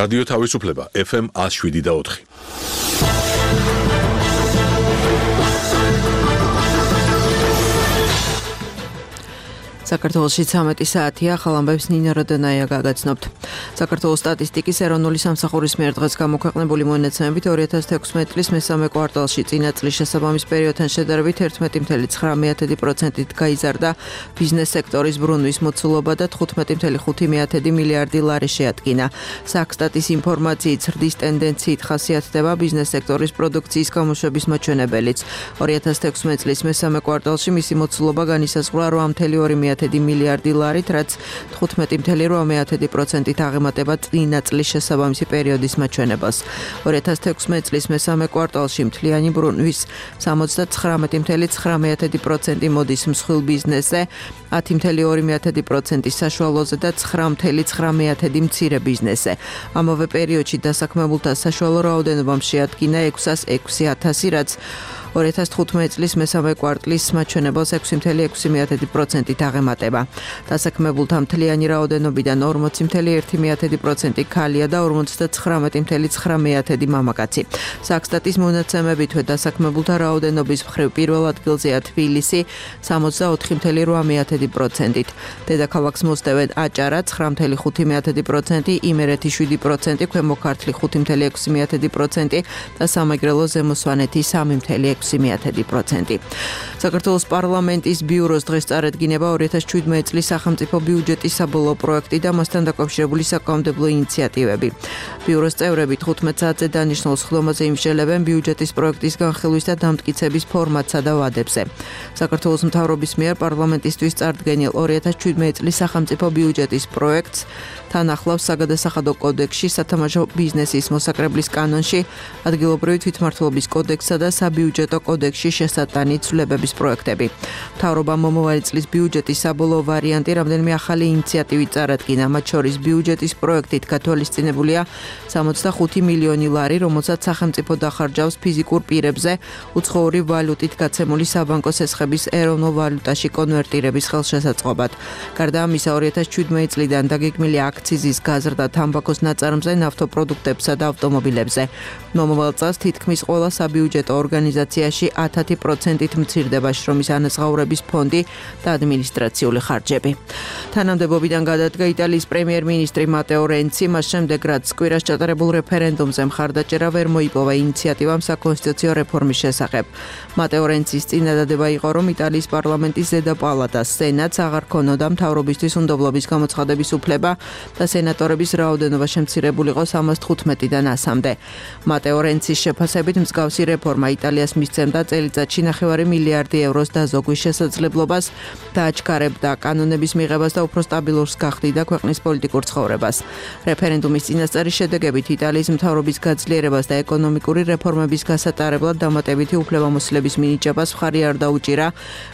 რადიო თავისუფლება FM 107.4. საქართველოში 13 საათია, ახალ ამბებს ნინა როდანაია გაგაცნობთ. საქართველოს სტატისტიკის ეროვნული სამსახურის მიერ დღეს გამოქვეყნებული მონაცემებით 2016 წლის მესამე კვარტალში წინა წლის შესაბამის პერიოდთან შედარებით 11.9%-ით გაიზარდა ბიზნეს სექტორის ბრუნვის მოცულობა და 15.5 მილიარდი ლარი შეადგინა. საქსტატის ინფორმაციით ზრდის ტენდენციით ხასიათდება ბიზნეს სექტორის პროდუქციის გამოშვების მაჩვენებელიც. 2016 წლის მესამე კვარტალში მისი მოცულობა განისაზღვრა 8.2 მილიარდი ლარით, რაც 15.8%-ით აღემატება წინა წლის შესაბამისი პერიოდის მაჩვენებას. 2016 წლის მესამე კვარტალში მთლიანი ბრუნვის 79.9% მოდის მსხვილ ბიზნესზე, 10.2% საშუალოზე და 9.9% მცირე ბიზნესზე. ამავე პერიოდში დასაქმებულთა საშუალო რაოდენობამ შეადგინა 606,000, რაც 2015 წლის მესამე კვარტლის მაჩვენებელს 6.6%-ით აღემატება. დასაქმებულთა მთლიანი რაოდენობიდან 40.1% ქალია და 59.9% მამაკაცი. საქსტატის მონაცემებითვე დასაქმებულთა რაოდენობის მხრივ პირველ ადგილზეა თბილისი 64.8%-ით. დედაქალაქს მოსდევენ აჭარა 9.5%, იმერეთი 7%, ქვემო ქართლი 5.6% და სამეგრელო ზემო სვანეთი 3.6%. საქართველოს პარლამენტის ბიუროს დღეს წარადგინება 2017 წლის სახელმწიფო ბიუჯეტის საბოლოო პროექტი და მასთან დაკავშირებული საკანონმდებლო ინიციატივები. ბიუროს წევრები 15 საათზე დანიშნულ სხდომაზე იმსჯელებენ ბიუჯეტის პროექტის განხილვის და დამტკიცების ფორმატსა და ვადებზე. საქართველოს მთავრობის მიერ პარლამენტისთვის წარდგენილ 2017 წლის სახელმწიფო ბიუჯეტის პროექტს თან ახლავს საგადასახადო კოდექსში, სათამაშო ბიზნესის მოსაკრებლის კანონში, ადგილობრივი თვითმმართველობის კოდექსსა და საბიუჯეტო კოდექსში შესატანი ცვლილებების პროექტები. მთავრობამ მომავალი წლის ბიუჯეტის საბოლოო ვარიანტი რამდენიმე ახალი ინიციატივით წარადგინა, მათ შორის ბიუჯეტის პროექტით გათვალისწინებულია 65 მილიონი ლარი, რომელსაც სახელმწიფო დახარჯავს ფიზიკურ პირებზე უცხოური ვალუტით გაცემული საბანკო სესხების ეროვნულ ვალუტაში კონვერტირების ხელშესაწყობად. გარდა ამისა, 2017 წლიდან დაგეგმილი აქციზის გაზრდა თამბაქოს ნაწარმზე, ნავთობპროდუქტებსა და ავტომობილებზე. მომავალ წელს თითქმის ყველა საბიუჯეტო ორგანიზაციაში 10%-ით მცირდება შრომის ანაზღაურების ფონდი და ადმინისტრაციული ხარჯები. თანამდებობიდან გადადგა იტალიის პრემიერ-მინისტრი მატეო რენცი, მას შემდეგ რაც კვირას ჩატარებულ რეფერენდუმზე მხარდაჭერა ვერ მოიპოვა ინიციატივამ საკონსტიტუციო რეფორმის შესახებ. მატეო რენცის წინადადება იყო, რომ იტალიის პარლამენტის ზედა პალატას სენატს აღარ ქონოდა მთავრობისთვის უნდობლობის გამოცხადების უფლება და სენატორების რაოდენობა შემცირებულიყო 315-დან 100-მდე. მატეო რენცის შეფასებით მსგავსი რეფორმა იტალიას მისცემდა წელიწადში 9 მილიარდი ევროს დაზოგვის შესაძლებლობას და აჩქარებდა კანონების მიღებას და უფრო სტაბილურს გახდიდა ქვეყნის პოლიტიკურ ცხოვრებას. რეფერენდუმის წინასწარი შედეგებით იტალიის მთავრობის გაძლიერებას და ეკონომიკური რეფორმების გასატარებლად დამატებითი უფლებამოსილების მინიჭებას მხარი არ დაუჭირა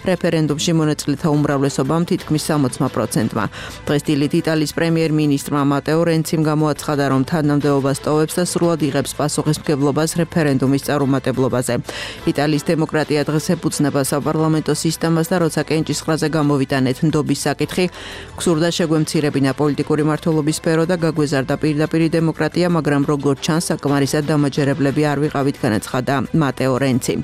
რეფერენდუმში მონაწილეთა უმრავლესობამ თითქმის 60%-მა. დღეს დილით იტალიის პრემიერ-მინისტრმა მატეო რენციმ გამოაცხადა, რომ თანამდებობას ტოვებს და სრულად იღებს პასუხისმგებლობას რეფერენდუმის წარუმატებლობაზე. იტალიის დემოკრატია დღეს ეფუძნება საპარლამენტო სისტემას და როცა კენჭისყრაზე გამოვიტანეთ ნდობის საკითხი, გსურდა შეგვემცირებინა პოლიტიკური მმართველობის სფერო და გაგვეზარდა პირდაპირი დემოკრატია, მაგრამ როგორც ჩანს, საკმარისად დამაჯერებლები არ ვიყავით, განაცხადა მატეო რენცი.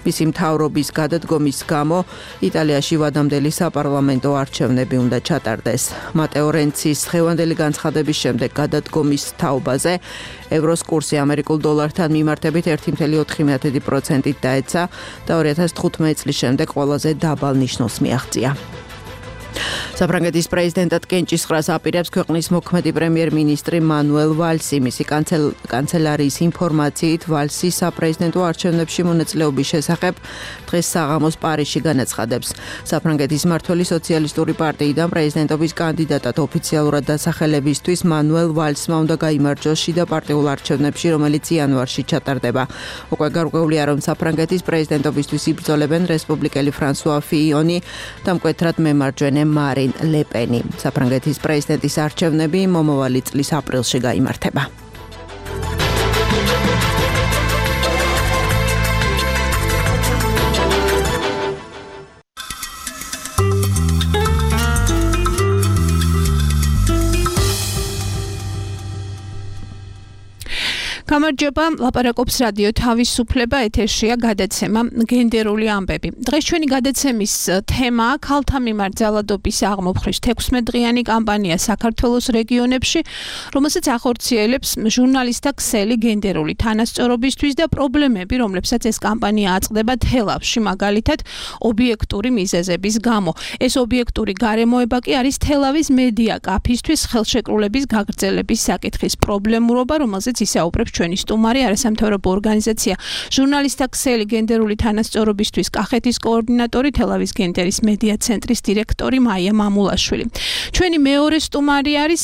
მისი მთავრობის გადადგომის გამო იტალიაში ვადამდელი საპარლამენტო არჩევნები უნდა ჩატარდეს. მატეო რენცის დღევანდელი განცხადების შემდეგ გადადგომის თაობაზე ევროს კურსი ამერიკულ დოლართან მიმართებით 1.4%-ით დაეცა და 2015 წლის შემდეგ ყველაზე დაბალ ნიშნულს მიაღწია. საფრანგეთის პრეზიდენტად კენჭისყრას აპირებს ქვეყნის მოქმედი პრემიერ-მინისტრი მანუელ ვალსი. მისი კანცელარიის ინფორმაციით, ვალსი საპრეზიდენტო არჩევნებში მონაწილეობის შესახებ დღეს საღამოს პარიზში განაცხადებს. საფრანგეთის მმართველი სოციალისტური პარტიიდან პრეზიდენტობის კანდიდატად ოფიციალურად დასახელებისთვის მანუელ ვალსმა უნდა გაიმარჯვოს შიდა პარტიულ არჩევნებში, რომელიც იანვარში ჩატარდება. უკვე გარკვეულია, რომ საფრანგეთის პრეზიდენტობისთვის იბრძოლებენ რესპუბლიკელი ფრანსუა ფიიონი და მკვეთრად მემარჯვენე მარინ ლე პენი. საფრანგეთის პრეზიდენტის არჩევნები მომავალი წლის აპრილში გაიმართება. გამარჯობა, ლაპარაკობს რადიო თავისუფლება, ეთერშია გადაცემა გენდერული ამბები. დღეს ჩვენი გადაცემის თემაა ქალთა მიმართ ძალადობის აღმოფხრის 16 დღიანი კამპანია საქართველოს რეგიონებში, რომელსაც ახორციელებს ჟურნალისტთა ქსელი გენდერული თანასწორობისთვის და პრობლემები, რომლებსაც ეს კამპანია აწყდება თელავში, მაგალითად, ობიექტური მიზეზების გამო. ეს ობიექტური გარემოება კი არის თელავის მედია კაფისთვის ხელშეკრულების გაგრძელების საკითხის პრობლემურობა, რომელზეც ისაუბრებს ჩვენი სტუმარი არასამთავრობო ორგანიზაცია ჟურნალისტთა ქსელი გენდერული თანასწორობისთვის კახეთის კოორდინატორი თელავის გენდერის მედია ცენტრის დირექტორი მაია მამულაშვილი. ჩვენი მეორე სტუმარი არის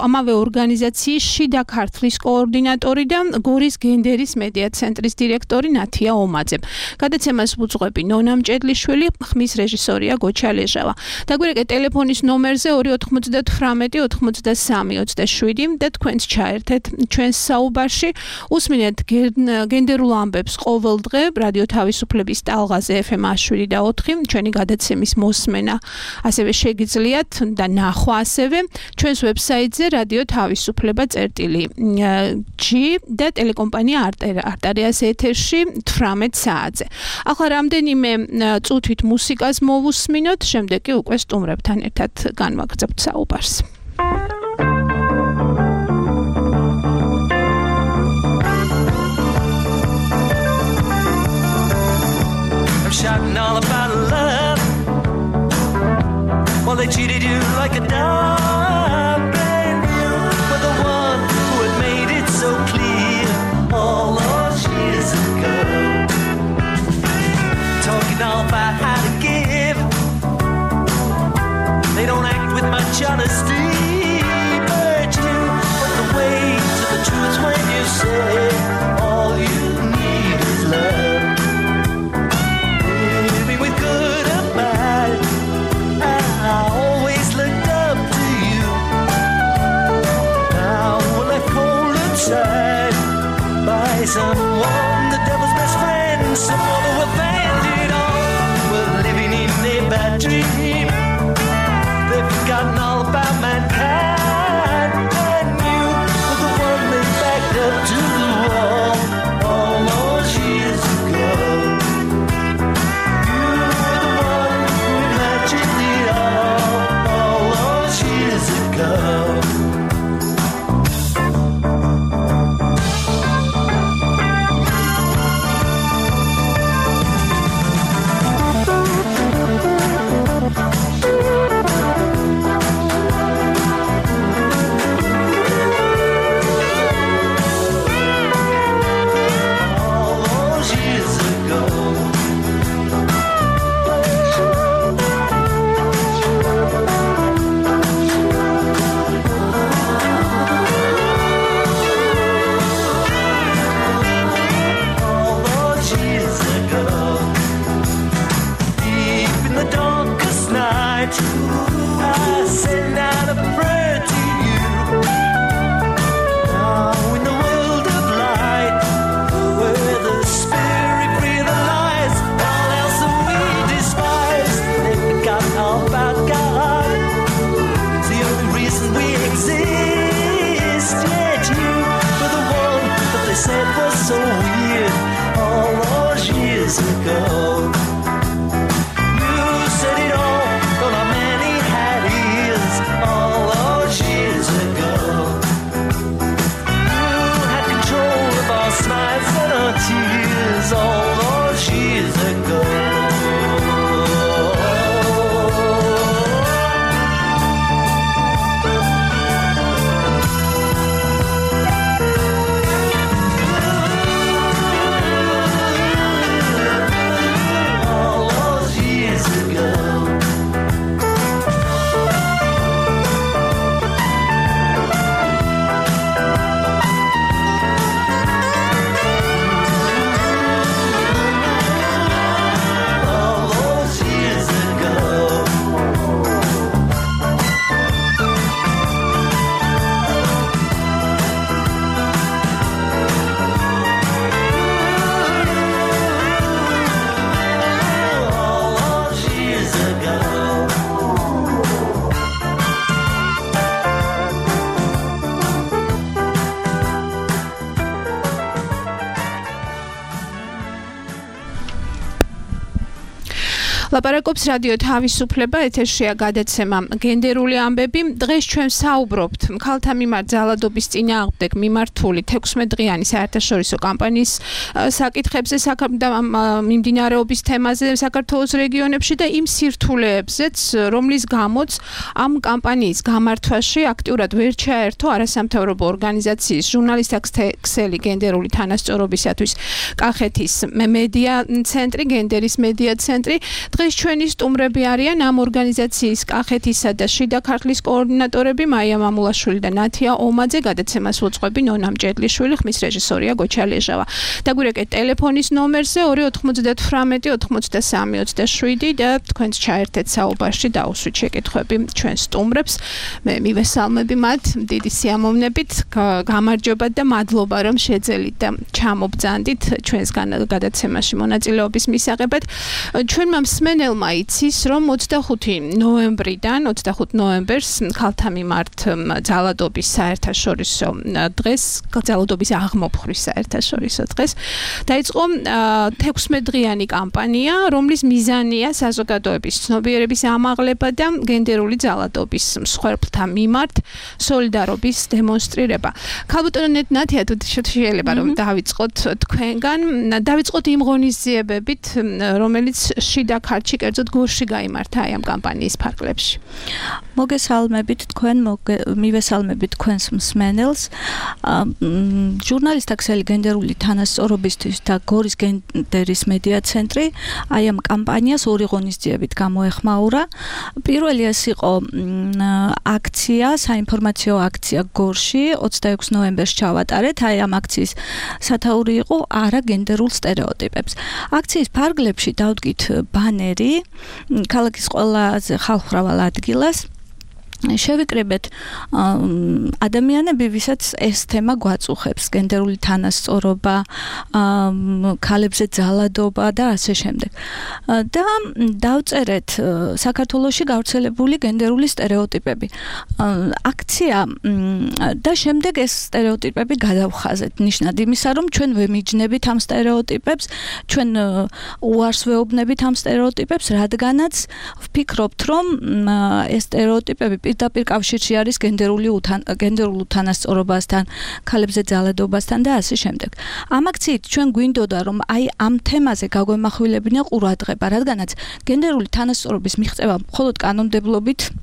ამავე ორგანიზაციის შიდა ქართლის კოორდინატორი და გორის გენდერის მედია ცენტრის დირექტორი ნათია ომაძე. გადაცემას უძღვები ნონა მჭედლიშვილი, ხმის რეჟისორია გოჩა ლეჟავა. დაგვირეკეთ ტელეფონის ნომერზე 298 93 27 და თქვენც ჩაერთეთ ჩვენს საუბარში. უსმინეთ გენდერულ ამბებს ყოველ დღე რადიო თავისუფლების ტალღაზე FM 107.4 ჩვენი გადაცემის მოსმენა ასევე შეგიძლიათ და ნახვა ასევე ჩვენს ვებსაიტზე რადიო თავისუფლება.g და ტელეკომპანია არტერიას ეთერში 18 საათზე. ახლა რამდენიმე წუთით მუსიკას მოვუსმინოთ, შემდეგ კი უკვე სტუმრებთან ერთად განვაგრძობთ საუბარს. Shouting all about love. Well, they treated you like a dog, and you were the one who had made it so clear all those years ago. Talking all about how to give. They don't act with much honesty, but you put the weight to the truth when you say all you need is love. By someone, the devil's best friend, someone who abandoned it all. We're living in a bad dream. They've forgotten all about mankind, and you were the one they backed up to the wall all those years ago. You were the one who imagined it all those years ago. ლაპარაკობს რადიო თავისუფლება, ეთერშია გადაცემა გენდერული ამბები. დღეს ჩვენ საუბრობთ ქალთა მიმართ ძალადობის წინააღმდეგ მიმართული 16 დღიანი საერთაშორისო კამპანიის საკითხებზე, მიმდინარეობის თემაზე საქართველოს რეგიონებში და იმ სირთულეებზეც, რომლის გამოც ამ კამპანიის გამართვაში აქტიურად ვერ ჩაერთო არასამთავრობო ორგანიზაციის ჟურნალისტთა ქსელი გენდერული თანასწორობისათვის კახეთის მედია ცენტრი, გენდერის მედია ცენტრი. დღეს ჩვენი სტუმრები არიან ამ ორგანიზაციის კახეთისა და შიდა ქართლის კოორდინატორები მაია მამულაშვილი და ნათია ომაძე, გადაცემას უძღვები ნონა მჭედლიშვილი, ხმის რეჟისორია გოჩა ლეჟავა. დაგვირეკეთ ტელეფონის ნომერზე 298-93-27 და თქვენც ჩაერთეთ საუბარში და უსვით შეკითხვები ჩვენ სტუმრებს. მე მივესალმები მათ დიდი სიამოვნებით, გამარჯობა და მადლობა რომ შეძელით და ჩამობძანდით ჩვენს გადაცემაში მონაწილეობის მისაღებად. ჩვენმა მსმენელმა იცის, რომ 25 ნოემბერს ქალთა მიმართ ძალადობის საერთაშორისო დღეს, ძალადობის აღმოფხვის საერთაშორისო დღეს დაიწყო 16 დღიანი კამპანია, რომლის მიზანია საზოგადოების ცნობიერების ამაღლება და გენდერული ძალადობის მსხვერპლთა მიმართ სოლიდარობის დემონსტრირება. ქალბატონო ნათია, თუ შეიძლება რომ დავიწყოთ თქვენგან, დავიწყოთ იმ ღონისძიებებით, რომელიც შიდა ქართლში, კერძოდ გორში გაიმართა აი ამ კამპანიის ფარგლებში. მოგესალმებით თქვენ, მივესალმებით თქვენს მსმენელს. ჟურნალისტთა ქსელი გენდერული თანასწორობისთვის და გორის გენდერის მედია ცენტრი აი ამ კამპანიას ორი ღონისძიებით გამოეხმაურა. პირველი ეს იყო აქცია, საინფორმაციო აქცია გორში 26 ნოემბერს ჩავატარეთ. აი ამ აქციის სათაური იყო არა გენდერულ სტერეოტიპებს. აქციის ფარგლებში დავდგით ბანერი ქალაქის ყველაზე ხალხმრავალ ადგილას. შევიკრიბეთ ადამიანები, ვისაც ეს თემა გვაწუხებს, გენდერული თანასწორობა, ქალებზე ძალადობა და ასე შემდეგ. და დავწერეთ საქართველოში გავრცელებული გენდერული სტერეოტიპები. აქცია და შემდეგ ეს სტერეოტიპები გადავხაზეთ. ნიშნად იმისა, რომ ჩვენ ვემიჯნებით ამ სტერეოტიპებს, ჩვენ უარს ვეუბნებით ამ სტერეოტიპებს, რადგანაც ვფიქრობთ, რომ ეს სტერეოტიპები პირდაპირ კავშირში არის გენდერულ უთანასწორობასთან, ქალებზე ძალადობასთან და ასე შემდეგ. ამ აქციით ჩვენ გვინდოდა, რომ აი ამ თემაზე გაგვემახვილებინა ყურადღება, რადგანაც გენდერული თანასწორობის მიღწევა მხოლოდ კანონმდებლობით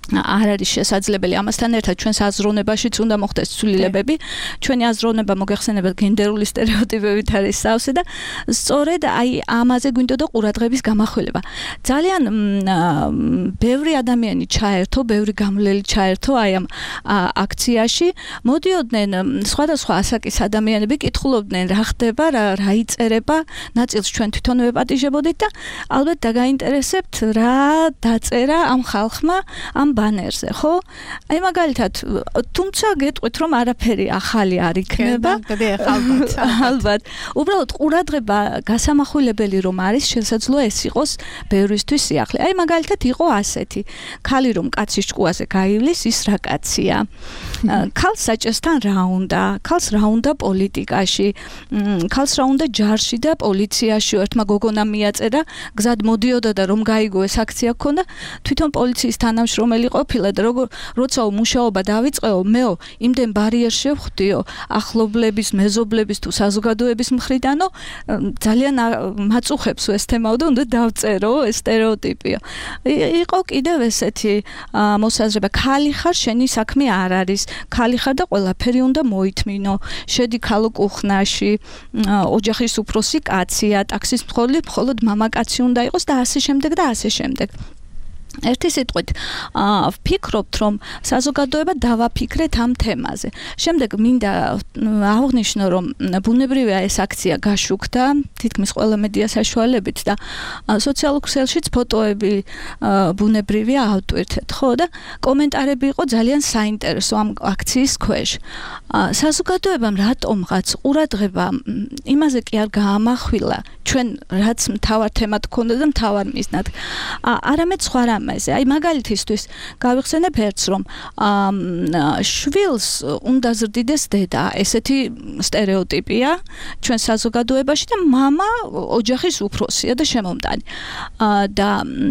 არ არის შესაძლებელი. ამასთან ერთად ჩვენს აზროვნებაშიც უნდა მოხდეს ცვლილებები. ჩვენი აზროვნება მოგეხსენებათ გენდერული სტერეოტიპებით არის სავსე და სწორედ აი ამაზე გვინდოდა ყურადღების გამახვილება. ძალიან ბევრი ადამიანი ჩაერთო, ბევრი გამლელი ჩაერთო აი ამ აქციაში. მოდიოდნენ სხვადასხვა ასაკის ადამიანები, კითხულობდნენ რა ხდება, რა იწერება, ნაწილს ჩვენ თვითონ ვეპატიჟებოდით და ალბათ დაგაინტერესებთ რა დაწერა ამ ხალხმა ამ ბანერზე, ხო? აი მაგალითად, თუმცა გეტყვით, რომ არაფერი ახალი არ იქნება. ალბათ. უბრალოდ ყურადღება გასამახვილებელი რომ არის, შესაძლოა ეს იყოს ბევრისთვის სიახლე. აი მაგალითად იყო ასეთი: ქალი რომ კაცის ჭკუაზე გაივლის, ის რა კაცია. ქალს საჭესთან რა უნდა? ქალს რა უნდა პოლიტიკაში? ქალს რა უნდა ჯარში და პოლიციაში? ერთმა გოგონამ მიაწერა, გზად მოდიოდა და რომ გაიგო ეს აქცია ქონდა, თვითონ პოლიციის თანამშრომელი ყოფილა და როცა მუშაობა დავიწყეო, მეო იმდენ ბარიერს შევხვდიო ახლობლების, მეზობლების თუ საზოგადოების მხრიდანო, ძალიან მაწუხებს ეს თემაო და უნდა დავწერო ეს სტერეოტიპია. იყო კიდევ ესეთი მოსაზრება, ქალი ხარ, შენი საქმე არ არის, ქალი ხარ და ყველაფერი უნდა მოითმინო, შედი ქალო კუხნაში, ოჯახის უფროსი კაცია, ტაქსის მხოლოდ მამაკაცი უნდა იყოს და ასე შემდეგ და ასე შემდეგ. ერთი სიტყვით, ვფიქრობთ, რომ საზოგადოება დავაფიქრეთ ამ თემაზე. შემდეგ მინდა აღვნიშნო, რომ ბუნებრივია ეს აქცია გაშუქდა თითქმის ყველა მედია საშუალებით და სოციალურ ქსელშიც ფოტოები ბუნებრივია ავტვირთეთ, ხო და კომენტარები იყო ძალიან საინტერესო ამ აქციის ქვეშ. საზოგადოებამ რატომღაც ყურადღება იმაზე კი არ გაამახვილა, ჩვენ რაც მთავარ თემად ქონდა და მთავარ მიზნად. არამედ სხვა რამე, პრობლემაზე. აი მაგალითისთვის გავიხსენებ ერთს, რომ შვილს უნდა ზრდიდეს დედა. ესეთი სტერეოტიპია ჩვენ საზოგადოებაში და მამა ოჯახის უფროსია და შემომტანი. და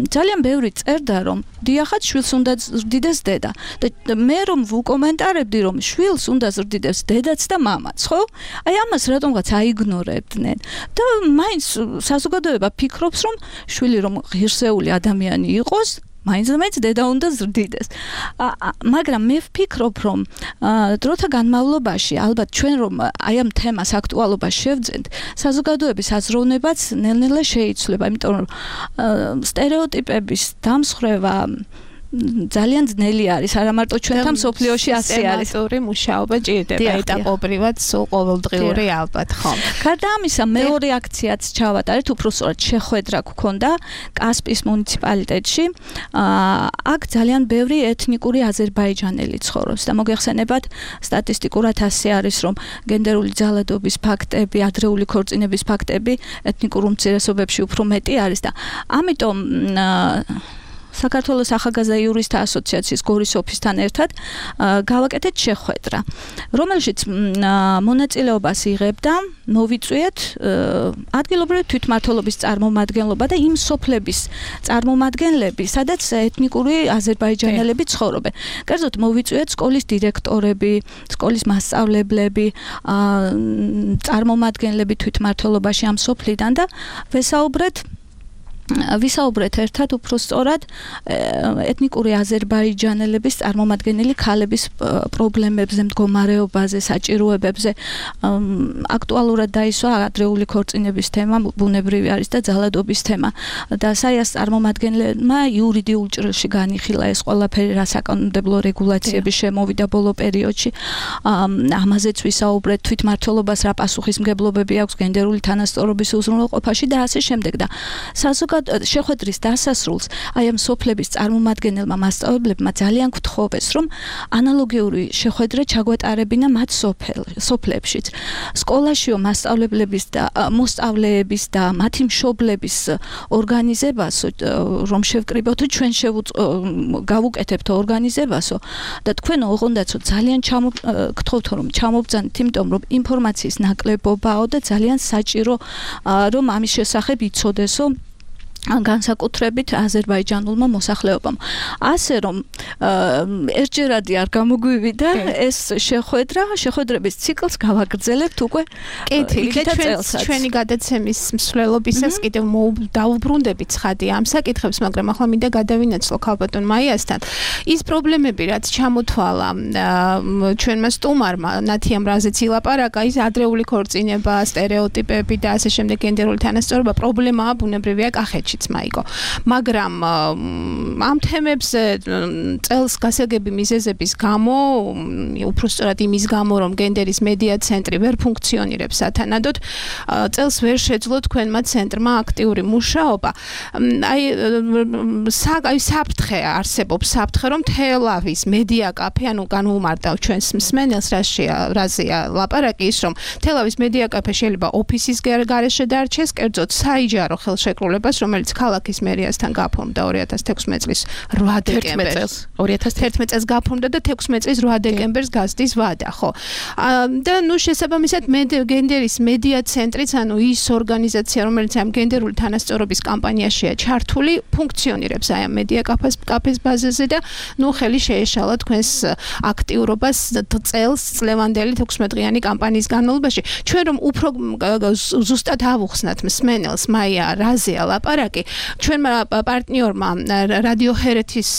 ძალიან ბევრი წერდა, რომ დიახაც შვილს უნდა ზრდიდეს დედა. და მე რომ ვუკომენტარებდი, რომ შვილს უნდა ზრდიდეს დედაც და მამაც, ხო? აი ამას რატომღაც აიგნორებდნენ. და მაინც საზოგადოება ფიქრობს, რომ შვილი რომ ღირსეული ადამიანი იყოს, მაინც დედა უნდა ზრდიდეს. მაგრამ მე ვფიქრობ, რომ დროთა განმავლობაში ალბათ ჩვენ რომ აი ამ თემას აქტუალობას შევძენთ, საზოგადოების აზროვნებაც ნელ-ნელა შეიცვლება, იმიტომ რომ სტერეოტიპების დამსხვრევა ძალიან ძნელი არის, არა მარტო ჩვენთან სოფლიოში ასე არის. სისტემატური მუშაობა ჭირდება ეტაპობრივად, სულ ყოველდღიური ალბათ, ხო. გარდა ამისა, მეორე აქციაც ჩავატარეთ, უბრალოდ შეხვედრა გქონდა კასპის მუნიციპალიტეტში. აქ ძალიან ბევრი ეთნიკური აზერბაიჯანელი ცხოვრობს და მოგეხსენებათ, სტატისტიკურად ასე არის, რომ გენდერული ძალადობის ფაქტები, ადრეული ქორწინების ფაქტები ეთნიკურ უმცირესობებში უფრო მეტი არის და ამიტომ საქართველოს ახალგაზრდა იურისტთა ასოციაციის გორის ოფისთან ერთად გავაკეთეთ შეხვედრა, რომელშიც მონაწილეობას იღებდა მოვიწვიეთ ადგილობრივი თვითმმართველობის წარმომადგენლობა და იმ სოფლების წარმომადგენლები, სადაც ეთნიკური აზერბაიჯანელები ცხოვრობენ. კერძოდ მოვიწვიეთ სკოლის დირექტორები, სკოლის მასწავლებლები, წარმომადგენლები თვითმმართველობაში ამ სოფლიდან და ვისაუბრეთ ერთად უფრო სწორად ეთნიკური აზერბაიჯანელების წარმომადგენელი ქალების პრობლემებზე, მდგომარეობაზე, საჭიროებებზე. აქტუალურად დაისვა ადრეული ქორწინების თემა, ბუნებრივი არის და ძალადობის თემა. და საიას წარმომადგენლებმა იურიდიულ ჭრილში განიხილა ეს ყველაფერი, რა საკანონმდებლო რეგულაციები შემოვიდა ბოლო პერიოდში. ამაზეც ვისაუბრეთ, თვითმმართველობას რა პასუხისმგებლობები აქვს გენდერული თანასწორობის უზრუნველყოფაში და ასე შემდეგ და შეხვედრის დასასრულს აი ამ სოფლების წარმომადგენელმა მასწავლებლებმა ძალიან გთხოვეს, რომ ანალოგიური შეხვედრა ჩაგვეტარებინა მათ სოფლებშიც. სკოლაშიო მასწავლებლების და მოსწავლეების და მათი მშობლების ორგანიზებასო, რომ შევკრიბოთ, ჩვენ გავუკეთებთ ორგანიზებასო და თქვენ ოღონდაცო ძალიან გთხოვთ, რომ ჩამობძანეთ, იმიტომ რომ ინფორმაციის ნაკლებობაო და ძალიან საჭირო, რომ ამის შესახებ იცოდესო განსაკუთრებით აზერბაიჯანულმა მოსახლეობამ. ასე რომ ერთჯერადი არ გამოგვივიდა ეს შეხვედრების ციკლს გავაგრძელებთ უკვე ჩვენი გადაცემის მსვლელობისას კიდევ დავუბრუნდებით ცხადი ამ საკითხებს, მაგრამ ახლა მინდა გადავინაცვლო ქალბატონ მაიასთან. ის პრობლემები, რაც ჩამოთვალა ჩვენმა სტუმარმა, ნათიამ რაზეც ილაპარაკა, ის ადრეული ქორწინება, სტერეოტიპები და ასე შემდეგ გენდერული თანასწორობა პრობლემაა ბუნებრივია კახეთში. მაიკო, მაგრამ ამ თემებზე წელს გასაგები მიზეზების გამო, უბრალოდ იმის გამო, რომ გენდერის მედია ცენტრი ვერ ფუნქციონირებს სათანადოდ, წელს ვერ შეძლო თქვენმა ცენტრმა აქტიური მუშაობა. აი საფრთხე არსებობს, საფრთხე, რომ თელავის მედია კაფე, ანუ განვუმარტავ ჩვენს მსმენელს, რაზეა ლაპარაკი, ის რომ თელავის მედია კაფე შეიძლება ოფისის გარეშე დარჩეს, კერძოდ საიჯარო ხელშეკრულებას, რომელიც ქალაქის მერიასთან გაფორმდა 2016 წლის 8 დეკემბერს. 2011 წელს გაფორმდა და 16 წლის 8 დეკემბერს გასდის ვადა, ხო. და შესაბამისად გენდერის მედია ცენტრიც, ანუ ის ორგანიზაცია, რომელიც ამ გენდერული თანასწორობის კამპანიაშია ჩართული, ფუნქციონირებს აი ამ მედია კაფეს ბაზაზე და ხელი შეეშალა თქვენს აქტიურობას წლევანდელი 16 დღიანი კამპანიის განმავლობაში. ჩვენ რომ უფრო ზუსტად ავუხსნათ მსმენელს, მაია რაზეა ლაპარაკი, ჩვენმა პარტნიორმა რადიო ჰერეთის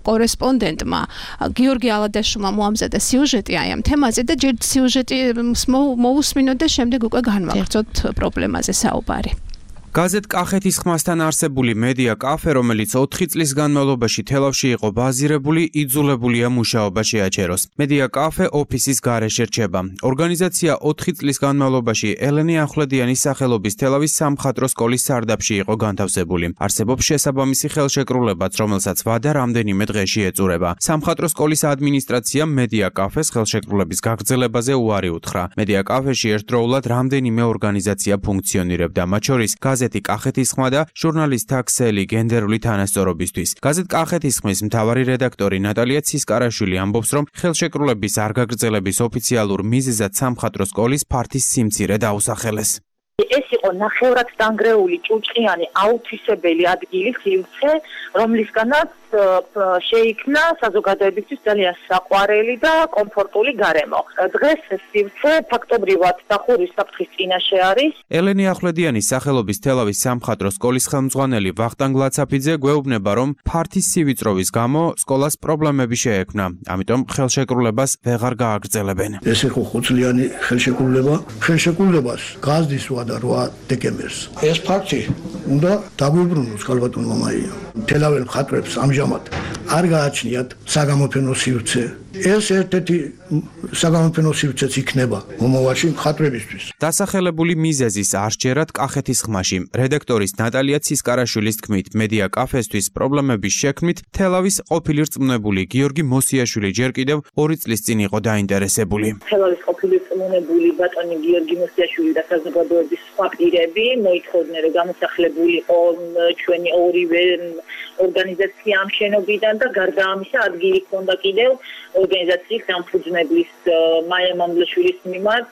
კორესპონდენტმა გიორგი ალადაშვილმა მოამზადა სიუჟეტი აი ამ თემაზე და ჯერ სიუჟეტი მოусმინოთ და შემდეგ უკვე განვაგრძოთ პრობლემაზე საუბარი. გაზეთ კახეთის ხმასთან არსებული მედია კაფე, რომელიც 4 წლის განმავლობაში თელავში იყო ბაზირებული, იძულებულია მუშაობა შეაჩეროს. მედია კაფე ოფისის გარეშე რჩება. ორგანიზაცია 4 წლის განმავლობაში ელენე ახვლედიანის სახელობის თელავის სამხატვრო სკოლის სარდაფში იყო განთავსებული. არსებობს შესაბამისი ხელშეკრულებაც, რომელსაც ვადა რამდენიმე დღეში ეწურება. სამხატვრო სკოლის ადმინისტრაციამ მედია კაფეს ხელშეკრულების გაგრძელებაზე უარი უთხრა. მედია კაფეში ერთდროულად რამდენიმე ორგანიზაცია ფუნქციონირებდა, მათ შორის გაზეთი კახეთის ხმა და ჟურნალისტთა ქსელი გენდერული თანასწორობისთვის. გაზეთ კახეთის ხმის მთავარი რედაქტორი ნატალია ცისკარაშვილი ამბობს, რომ ხელშეკრულების არ გაგრძელების ოფიციალურ მიზეზად სამხატვრო სკოლის ფართის სიმცირე დაუსახელეს. ეს იყო ნახევრად დანგრეული ჭუჭყიანი აუთვისებელი ადგილი სივრცე, რომლისგანაც შეიქმნა საზოგადოებისთვის ძალიან საყვარელი და კომფორტული გარემო. დღეს ეს სივრცე ფაქტობრივად დახურვის საფრთხის წინაშე არის. ელენე ახვლედიანის სახელობის თელავის სამხატვრო სკოლის ხელმძღვანელი ვახტანგ ლაცაფიძე გვეუბნება, რომ ფართის სივიწროვის გამო სკოლას პრობლემები შეექმნა, ამიტომ ხელშეკრულებას ვეღარ გააგრძელებენ. ეს იყო ხუთწლიანი ხელშეკრულება. ხელშეკრულებას გაზრდის ვადა 8 დეკემბერს. ეს ფაქტი უნდა დაგვიბრუნოს ქალბატონმა მაია. თელაվել მხატვრებს ამჟამად არ გააჩნიათ საგამოფენო სივრცე. ეს ერთ-ერთი საგამოფენო სივრცეც იქნება მომავალში მხატვრებისთვის. დასახელებული მიზეზის არჩერად კახეთის ხმაში რედაქტორის ნატალია ცისკარაშვილის თქმით, მედია კაფესთვის პრობლემების შექმნით თელავის ყოფილი რწმუნებული გიორგი მოსიაშვილი ჯერ კიდევ 2 წლის წინ იყო დაინტერესებული. თელავის ყოფილი რწმუნებული ბატონი გიორგი მოსიაშვილი და საზოგადოების სხვა პირები მოითხოვდნენ, რომ გამოსახლებულიყო ჩვენი ორივე ორგანიზაცია ამ შენობიდან და გარდა ამისა ადგილი ჰქონდა კიდევ ორგანიზაციის დამფუძნებლის მაია მამლაშვილის მიმართ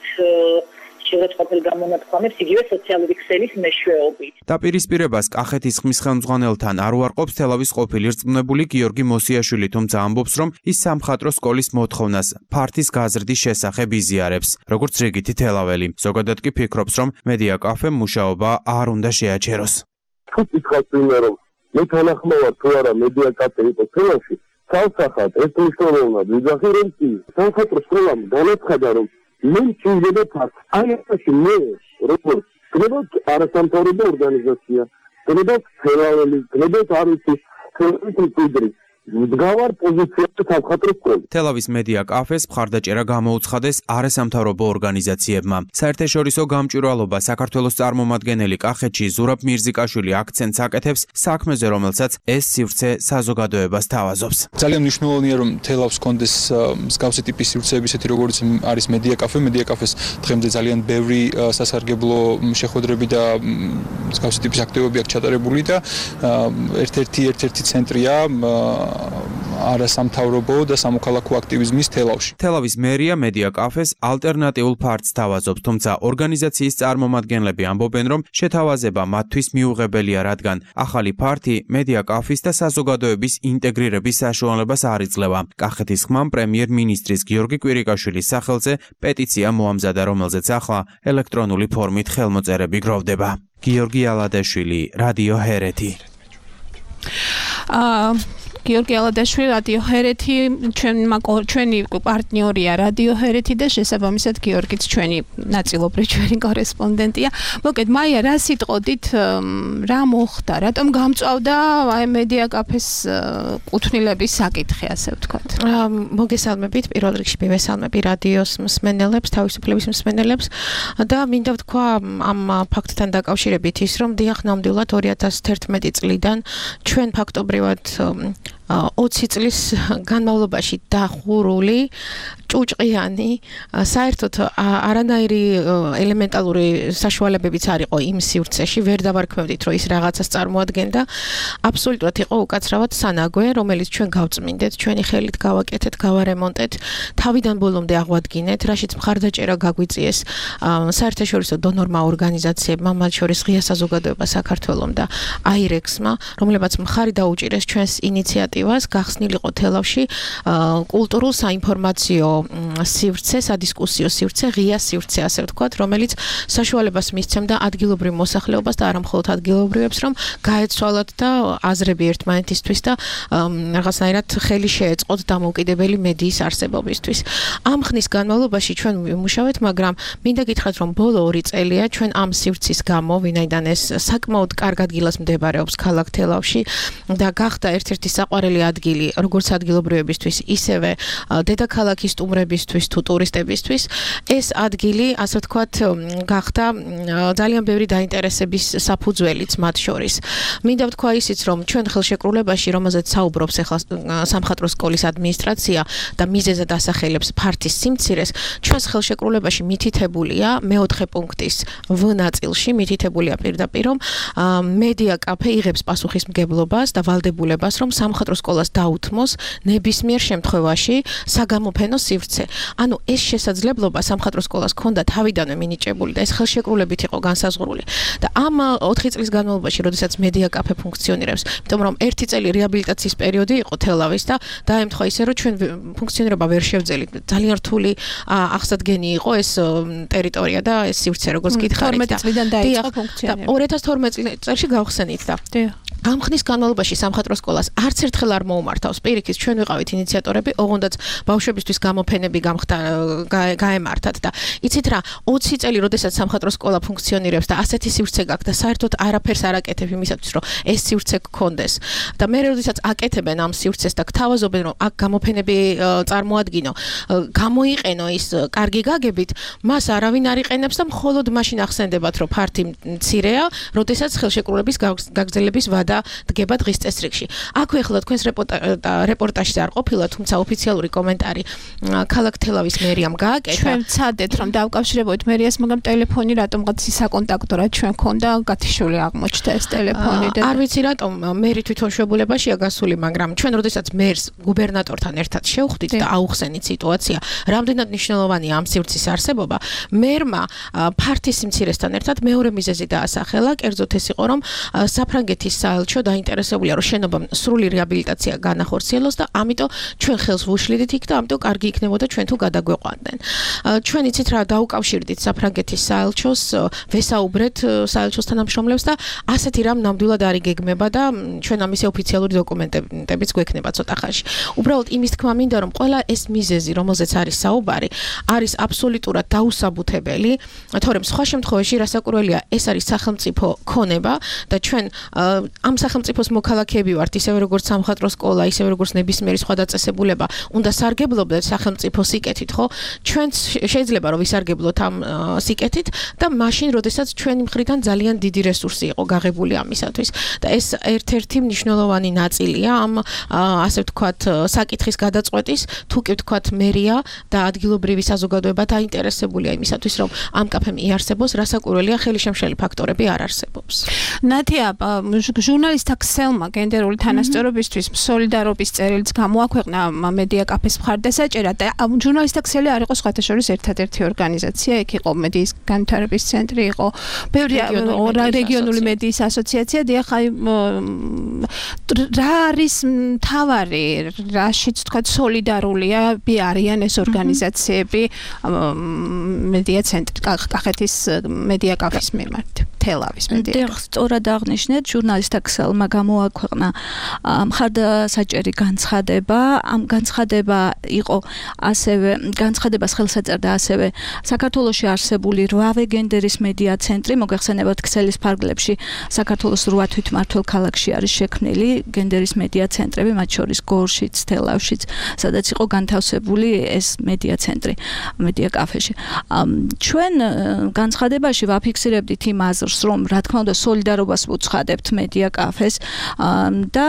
შეურაცხყოფელ გამონათქვამებს იგივე სოციალური ქსელის მეშვეობით. დაპირისპირებას კახეთის ხმის ხელმძღვანელთან არ უარყოფს თელავის ყოფილი რწმუნებული გიორგი მოსიაშვილი, თუმცა ამბობს, რომ ის სამხატვრო სკოლის მოთხოვნას ფართის გაზრდის შესახებ იზიარებს, როგორც რიგითი თელაველი. ზოგადად კი ფიქრობს, რომ მედია კაფემ მუშაობა არ უნდა შეაჩეროს. თუ კითხავს ვინმე, რომ მე თანახმოვარ თუ არა მედია კაფე იყო თელავში, თავსახად ეს მნიშვნელოვნად ვიძახი, რომ სამხატვრო სკოლამ განაცხადა, რომ მე მჭირდება ფართ. აი ესაში მე როგორც გნებოთ არასამთავრობო ორგანიზაცია, გნებოთ თელაველი, გნებოთ არის თელავის მდგავარ პოზიციაზე სამხატვრო სკოლა. თელავის მედია კაფეს მხარდაჭერა გამოუცხადეს არასამთავრობო ორგანიზაციებმა. საერთაშორისო გამჭვირვალობა საქართველოს წარმომადგენელი კახეთში ზურაბ მირზიკაშვილი აქცენტს აკეთებს საქმეზე, რომელსაც ეს სივრცე საზოგადოებას თავაზობს. ძალიან მნიშვნელოვანია, რომ თელავს კონდეს მსგავსი ტიპის სივრცეები, ისეთი როგორც არის მედია კაფე. მედია კაფეს დღემდე ძალიან ბევრი სასარგებლო შეხვედრები და მსგავსი ტიპის აქტივობები აქვს ჩატარებული და ერთ-ერთი ცენტრია არასამთავრობო და სამოქალაქო აქტივიზმის თელავში. თელავის მერია მედია კაფეს ალტერნატიულ ფარტს თავაზობს, თუმცა ორგანიზაციის წარმომადგენლები ამბობენ, რომ შეთავაზება მათთვის მიუღებელია, რადგან ახალი ფარტი მედია კაფის და საზოგადოების ინტეგრირების საშუალებას არ იძლევა. კახეთის ხმამ პრემიერ-მინისტრის გიორგი კვირიკაშვილის სახელზე პეტიცია მოამზადა, რომელზეც ახლა ელექტრონული ფორმით ხელმოწერები გროვდება. გიორგი ალადაშვილი, რადიო ჰერეთი. გიორგი ალადაშვილი, რადიო ჰერეთი, ჩვენი პარტნიორია რადიო ჰერეთი და შესაბამისად გიორგიც ჩვენი ნაწილობრივ ჩვენი კორესპონდენტია. მოკეთ მაია, რა სიტყოდით, რა მოხდა, რატომ გამწვავდა აი მედია კაფეს კუთვნილების საკითხი, ასე ვთქვათ. მოგესალმებით, პირველ რიგში მივესალმები რადიოს მსმენელებს, თავისუფლების მსმენელებს და მინდა ვთქვა ამ ფაქტთან დაკავშირებით ის, რომ დიახ, ნამდვილად 2011 წლიდან ჩვენ ფაქტობრივად 20 წლის განმავლობაში დახურული ჭუჭყიანი საერთოდ არანაირი ელემენტალური საშუალებებიც არ იყო იმ სივრცეში, ვერ დავარქმევდით, რომ ის რაღაცას წარმოადგენდა. აბსოლუტურად იყო უკაცრავად სანაგვე, რომელიც ჩვენ გავწმინდეთ, ჩვენი ხელით გავაკეთეთ, გავარემონტეთ, თავიდან ბოლომდე აღვადგინეთ, რაშიც მხარდაჭერა გაგვიწიეს საერთაშორისო დონორმა ორგანიზაციებმა, მათ შორის ღია საზოგადოება საქართველომ და აირექსმა, რომლებაც მხარი დაუჭირეს ჩვენს ინიციატივას, გახსნილიყო თელავში კულტურულ საინფორმაციო სივრცე, სადისკუსიო სივრცე, ღია სივრცე, ასე ვთქვათ, რომელიც საშუალებას მისცემდა ადგილობრივ მოსახლეობას და არამხოლოდ ადგილობრივებს, რომ გაეცვალათ და აზრები ერთმანეთისთვის და რაღაცნაირად ხელი შეეწყოთ დამოუკიდებელი მედიის არსებობისთვის. ამ ხნის განმავლობაში ჩვენ ვიმუშავეთ, მაგრამ მინდა გითხრათ, რომ ბოლო 2 წელია ჩვენ ამ სივრცის გამო, ვინაიდან ეს საკმაოდ კარგ ადგილას მდებარეობს ქალაქ თელავში და გახდა ერთ-ერთი საყვარელი პირველი ადგილი როგორც ადგილობრივებისთვის, ისევე დედაქალაქის სტუმრებისთვის თუ ტურისტებისთვის, ეს ადგილი, ასე ვთქვათ, გახდა ძალიან ბევრი დაინტერესების საფუძველიც მათ შორის. მინდა ვთქვა ისიც, რომ ჩვენ ხელშეკრულებაში, რომელზეც საუბრობს ახლა სამხატვრო სკოლის ადმინისტრაცია და მიზეზად ასახელებს ფართის სიმცირეს, ჩვენს ხელშეკრულებაში მითითებულია მეოთხე პუნქტის V ნაწილში მითითებულია პირდაპირ, რომ მედია კაფე იღებს პასუხისმგებლობას და ვალდებულებას, რომ სამხატვრო სკოლას დაუთმოს ნებისმიერ შემთხვევაში საგამოფენო სივრცე. ანუ ეს შესაძლებლობა სამხატვრო სკოლას ჰქონდა თავიდანვე მინიჭებული და ეს ხელშეკრულებით იყო განსაზღვრული. და ამ 4 წლის განმავლობაში, როდესაც მედია კაფე ფუნქციონირებს, იმიტომ რომ 1 წელი რეაბილიტაციის პერიოდი იყო თელავის და დაემთხვა ისე, რომ ჩვენ ფუნქციონირება ვერ შევძელით. ძალიან რთული აღსადგენი იყო ეს ტერიტორია და ეს სივრცე, როგორც გითხარით. 12 წლიდან დაიწყო ფუნქციონირება. 2012 წელს გავხსენით და ამ ხნის განმავლობაში სამხატვრო სკოლას არც ერთხელ არ მოუმართავს. პირიქით, ჩვენ ვიყავით ინიციატორები, ოღონდაც ბავშვებისთვის გამოფენები გაემართათ და იცით რა, 20 წელი, როდესაც სამხატვრო სკოლა ფუნქციონირებს და ასეთი სივრცე გაქვს და საერთოდ არაფერს არ აკეთებ იმისათვის, რომ ეს სივრცე გქონდეს. და მე როდესაც აკეთებენ ამ სივრცეს და გთავაზობენ, რომ აქ გამოფენები წარმოადგინო, გამოიყენო ის კარგი გაგებით, მას არავინ არ იყენებს და მხოლოდ მაშინ ახსენდებათ, რომ ფართი მცირეა, როდესაც ხელშეკრულების გაგრძელების ვადა დგება დღის წესრიგში. აქვე ახლა თქვენს რეპორტაჟზე არ ყოფილა, თუმცა ოფიციალური კომენტარი ქალაქ თელავის მერიამ გააკეთა. ჩვენ ვცადეთ, რომ დავკავშირებოთ მერიას, მაგრამ ტელეფონი რატომღაც საკონტაქტო რა ჩვენ ქონდა გათიშული აღმოჩნდა ეს ტელეფონი და არ ვიცი რატომ მერი თვითონ შვებულებაშია გასული, მაგრამ ჩვენ როდესაც მერს გუბერნატორთან ერთად შევხვდით და აუხსენით სიტუაცია, რამდენად მნიშვნელოვანია ამ სივრცის არსებობა, მერმა ფართის სიმცირესთან ერთად მეორე მიზეზი დაასახელა, კერძოდ ეს იყო, რომ საფრანგეთის საელჩო დაინტერესებულია, რომ შენობამ სრული რეაბილიტაცია განახორციელოს და ამიტომ ჩვენ ხელს ვუშლიდით იქ და ამიტომ კარგი იქნებოდა ჩვენ თუ გადაგვეყვანდნენ. ჩვენ იცით რა, დაუკავშირდით საფრანგეთის საელჩოს, ვესაუბრეთ საელჩოს თანამშრომლებს და ასეთი რამ ნამდვილად არ იგეგმება და ჩვენ ამის ოფიციალური დოკუმენტებიც გვექნება ცოტა ხანში. უბრალოდ იმის თქმა მინდა, რომ ყველა ეს მიზეზი, რომელზეც არის საუბარი, არის აბსოლუტურად დაუსაბუთებელი, თორემ სხვა შემთხვევაში რასაკვირველია, ეს არის სახელმწიფო ქონება და ჩვენ ამ სახელმწიფოს მოქალაქეები ვართ, ისევე როგორც სამხატვრო სკოლა, ისევე როგორც ნებისმიერი სხვა დაწესებულება, უნდა სარგებლობდეთ სახელმწიფო სიკეთით, ხო? ჩვენ შეიძლება რომ ვისარგებლოთ ამ სიკეთით და მაშინ, როდესაც ჩვენი მხრიდან ძალიან დიდი რესურსი იყო გაღებული ამისათვის და ეს ერთ-ერთი მნიშვნელოვანი ნაწილია ამ ასე ვთქვათ საკითხის გადაწყვეტის, თუ კი ვთქვათ მერია და ადგილობრივი საზოგადოება დაინტერესებულია იმისათვის, რომ ამ კაფემ იარსებოს, რასაკვირველია ხელისშემშელი ფაქტორები არ არსებობს. ნათია, ჟურნალისტთა ქსელმა გენდერული თანასწორობისთვის სოლიდარობის წერილიც გამოაქვეყნა მედია კაფეს მხარდასაჭერად და ჟურნალისტთა ქსელი არ იყო სხვათა შორის ერთადერთი ორგანიზაცია, იქ იყო მედიის განვითარების ცენტრი, იყო ბევრი რეგიონული მედიის ასოციაცია, დიახ, რა არის მთავარი, რაშიც თქვა სოლიდარულია არიან ეს ორგანიზაციები მედია ცენტრი კახეთის მედია კაფის მიმართ. თელავის მედია. სწორად აღნიშნეთ, ჟურნალისტთა ქსელმა გამოაქვეყნა მხარდასაჭერი განცხადება. ამ განცხადება იყო ასევე განცხადებას ხელს ეწერდა ასევე საქართველოში არსებული 8 გენდერის მედია ცენტრი, მოგეხსენებათ ქსელის ფარგლებში საქართველოს 8 თვითმმართველ ქალაქში არის შექმნილი გენდერის მედია ცენტრები, მათ შორის გორშიც, თელავშიც, სადაც იყო განთავსებული ეს მედია ცენტრი, მედია კაფეში. ჩვენ განცხადებაში ვაფიქსირებდით იმ აზრს, რომ რა თქმა უნდა სოლიდარობას ვუცხადებთ მედია კაფეს და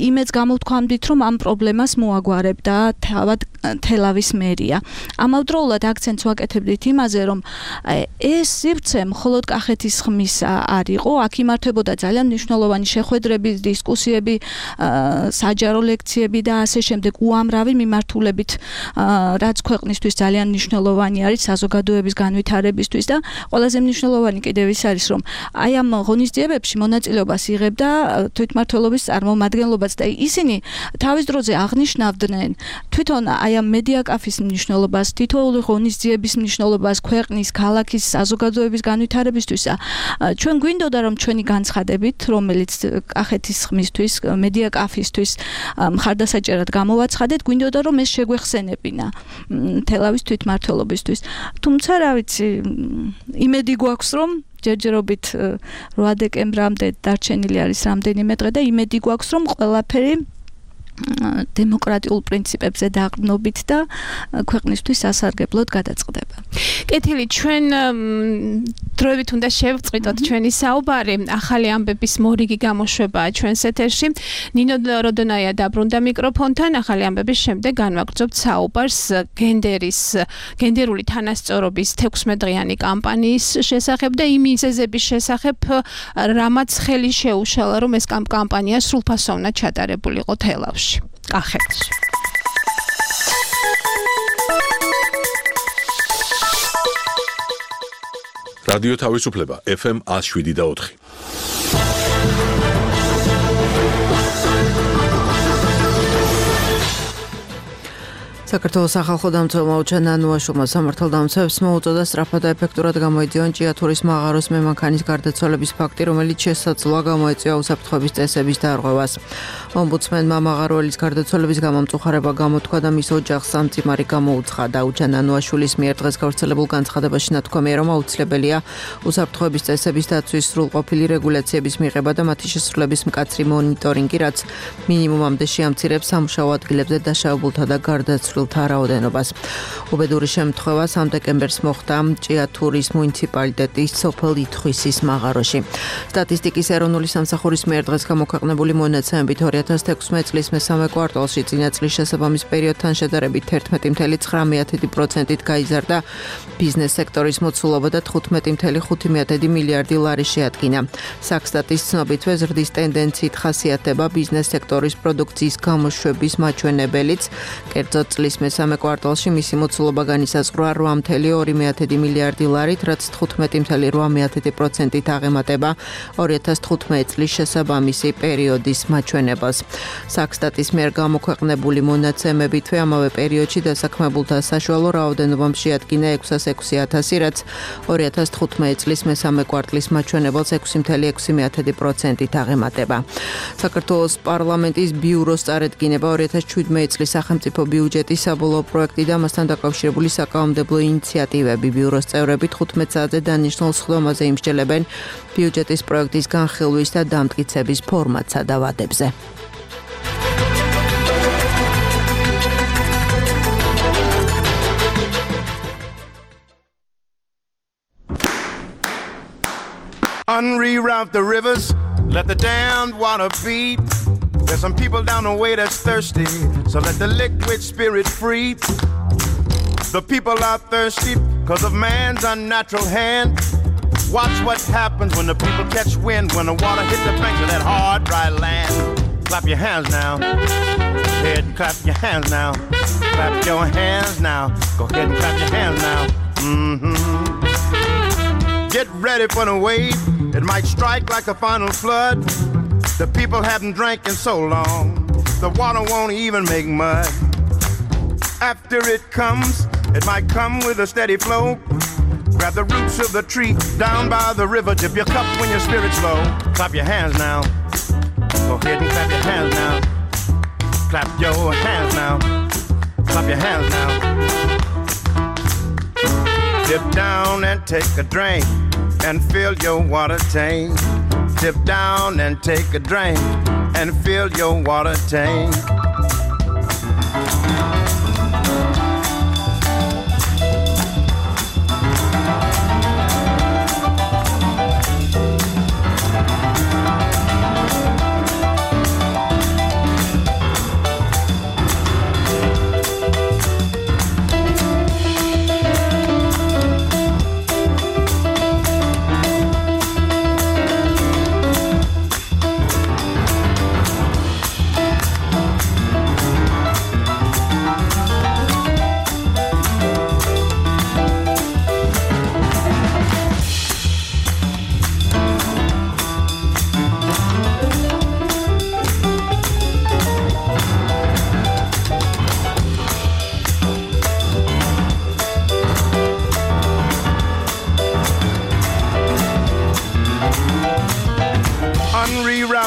იმეც გამოვთქვამდით, რომ ამ პრობლემას მოაგვარებდა თავად თელავის მერია. ამავდროულად აქცენტს ვაკეთებდით იმაზე, რომ ეს სივრცე მხოლოდ კახეთის ხმის არ იყო, აქ იმართებოდა ძალიან მნიშვნელოვანი შეხვედრები, დისკუსიები, საჯარო ლექციები და ასე შემდეგ უამრავი მიმართულებით, რაც ქვეყნისთვის ძალიან მნიშვნელოვანი არის საზოგადოების განვითარებისთვის და ყველაზე მნიშვნელოვანი კიდევ ის არის, რომ აი ამ ღონისძიებებში მონაწილეობას იღებდა თვითმმართველობის წარმომადგენლობაც და ისინი თავის დროზე აღნიშნავდნენ თვითონ აი ამ მედია კაფის მნიშვნელობას, თითოეული ღონისძიების მნიშვნელობას ქვეყნის, ქალაქის, საზოგადოების განვითარებისთვის. ჩვენ გვინდოდა რომ ჩვენი განცხადებით, რომელიც კახეთის ხმისთვის, მედია კაფისთვის მხარდასაჭერად გამოვაცხადეთ, გვინდოდა რომ ეს შეგვეხსენებინა თელავის თვითმმართველობისთვის. თუმცა რა ვიცი, იმედი გვაქვს რომ ჯერჯერობით 8 დეკემბრამდე დარჩენილი არის რამდენიმე დღე და იმედი გვაქვს რომ ყველაფერი დემოკრატიულ პრინციპებზე დაყრდნობით და ქვეყნისთვის სასარგებლოდ გადაწყდება. კეთილი, ჩვენ დროებით უნდა შევწყიტოთ ჩვენი საუბარი. ახალი ამბების მორიგი გამოშვებაა ჩვენს ეთერში. ნინო როდონაია დაბრუნდა მიკროფონთან. ახალი ამბების შემდეგ განვაგრძობთ საუბარს გენდერული თანასწორობის 16 დღიანი კამპანიის შესახებ და იმ მიზეზების შესახებ, რამაც ხელი შეუშალა, რომ ეს კამპანია სრულფასოვნად ჩატარებულიყო თელავში. კახეთში. რადიო თავისუფლება FM 107.4. საქართველოს სახალხო დამცველმა უჩა ნანუაშვილმა სამართალდამცავებს მოუწოდა სწრაფად და ეფექტურად გამოეძიონ ჭიათურის მაღაროს მემანქანის გარდაცვალების ფაქტი, რომელიც შესაძლოა გამოეწვია უსაფრთხოების წესების დარღვევას. ომბუდსმენმა მაღაროელის გარდაცვალების გამომწუხარება გამოთქვა და მის ოჯახს სამწიმარი გამოუცხადა. უჩა ნანუაშვილის მიერ დღეს გავრცელებულ განცხადებაში ნათქვამია, რომ აუცილებელია უსაფრთხოების წესების დაცვის სრულყოფილი რეგულაციების მიღება და მათი შესრულების მკაცრი მონიტორინგი, რაც მინიმუმამდე შეამცირებს სამუშაო ადგილებზე დაშავებულთა და გარდაცვლილთა რაოდენობას. უბედური შემთხვევა 3 დეკემბერს მოხდა ჭიათურის მუნიციპალიტეტის სოფელ ითხვისის მაღაროში. სტატისტიკის ეროვნული სამსახურის მიერ დღეს გამოქვეყნებული მონაცემებით 2016 წლის მესამე კვარტალში წინა წლის შესაბამის პერიოდთან შედარებით 11.9%-ით გაიზარდა ბიზნეს სექტორის მოცულობა და 15.5 მილიარდი ლარი შეადგინა. საქსტატის ცნობითვე ზრდის ტენდენციით ხასიათდება ბიზნეს სექტორის პროდუქციის გამოშვების მაჩვენებელიც. კერძოდ წლის მესამე კვარტალში მისი მოცულობა განისაზღვრა 8.2 მილიარდი ლარით, რაც 15.8%-ით აღემატება 2015 წლის შესაბამისი პერიოდის მაჩვენებელს. საქსტატის მიერ გამოქვეყნებული მონაცემებითვე ამავე პერიოდში დასაქმებულთა საშუალო რაოდენობა შეადგინა 606,000, რაც 2015 წლის მესამე კვარტლის მაჩვენებელს 6.6%-ით აღემატება. საქართველოს პარლამენტის ბიუროს წარედგინება 2017 წლის სახელმწიფო ბიუჯეტის საბოლოო პროექტი და მასთან დაკავშირებული საკანონმდებლო ინიციატივები. ბიუროს წევრები 15 საათზე დანიშნულ სხდომაზე იმსჯელებენ ბიუჯეტის პროექტის განხილვის და დამტკიცების ფორმატსა და ვადებზე. Unreroute the rivers, let the damned water beat. There's some people down the way that's thirsty, so let the liquid spirit free. The people are thirsty because of man's unnatural hand. Watch what happens when the people catch wind, when the water hits the banks of that hard, dry land. Clap your hands now. Go ahead and clap your hands now. Clap your hands now. Go ahead and clap your hands now. Get ready for the wave. It might strike like a final flood. The people haven't drank in so long, the water won't even make mud. After it comes, it might come with a steady flow. Grab the roots of the tree down by the river. Dip your cup when your spirit's low. Clap your hands now. Go ahead and clap your hands now. Clap your hands now. Clap your hands now. Dip down and take a drink and fill your water tank. Dip down and take a drink and fill your water tank.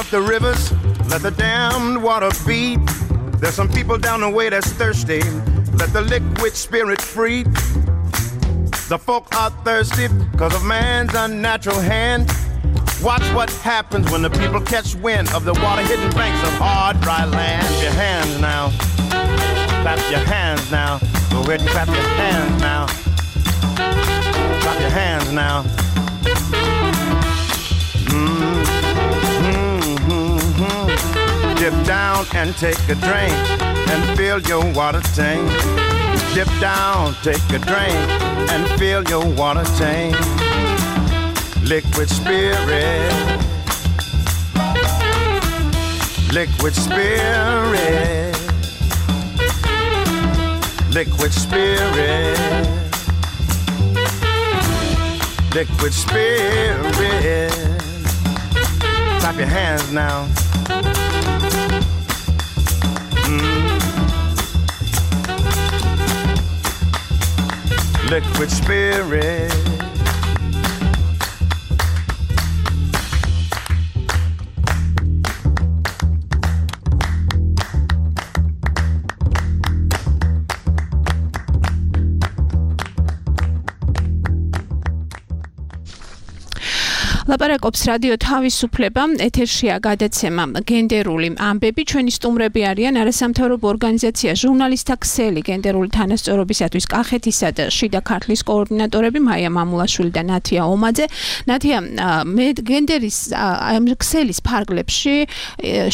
The rivers, let the damned water beat. There's some people down the way that's thirsty. Let the liquid spirit free. The folk are thirsty because of man's unnatural hand. Watch what happens when the people catch wind of the water-hidden banks of hard, dry land. Clap your hands now. Clap your hands now. Go ahead and clap your hands now. Clap your hands now. Dip down and take a drink and fill your water tank. Dip down, take a drink and fill your water tank. Liquid spirit. Liquid spirit. Liquid spirit. Liquid spirit. Clap your hands now. Liquid spirit. ლაპარაკობს რადიო თავისუფლება, ეთერშია გადაცემა გენდერული ამბები. ჩვენი სტუმრები არიან არასამთავრობო ორგანიზაცია ჟურნალისტთა ქსელი გენდერული თანასწორობისათვის კახეთისა და შიდა ქართლის კოორდინატორები მაია მამულაშვილი და ნათია ომაძე. ნათია, მე გენდერის ქსელის ფარგლებში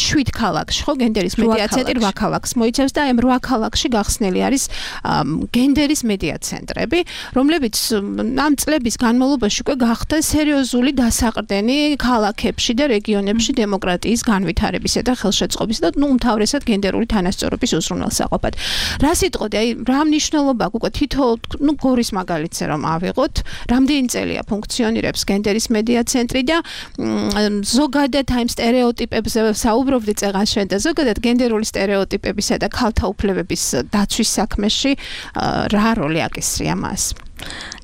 7 ქალაქში, ხო, გენდერის მედია ცენტრი 8 ქალაქს მოიცავს და ამ 8 ქალაქში გახსნილი არის გენდერის მედია ცენტრები, რომლებიც ამ წლების განმავლობაში უკვე გახდა სერიოზული საყრდენი ქალაქებში და რეგიონებში დემოკრატიის განვითარებისა და ხელშეწყობის და უმთავრესად გენდერული თანასწორობის უზრუნველსაყოფად. რა სიტყოდი, აი რა მნიშვნელობა უკვე თითოეულ გორის მაგალითზე რომ ავიღოთ, რამდენი წელია ფუნქციონირებს გენდერის მედია ცენტრი და ზოგადად აი სტერეოტიპებზე საუბრობდი წეგან შენ და ზოგადად გენდერული სტერეოტიპებისა და ქალთა უფლებების დაცვის საქმეში რა როლი აკისრია მას?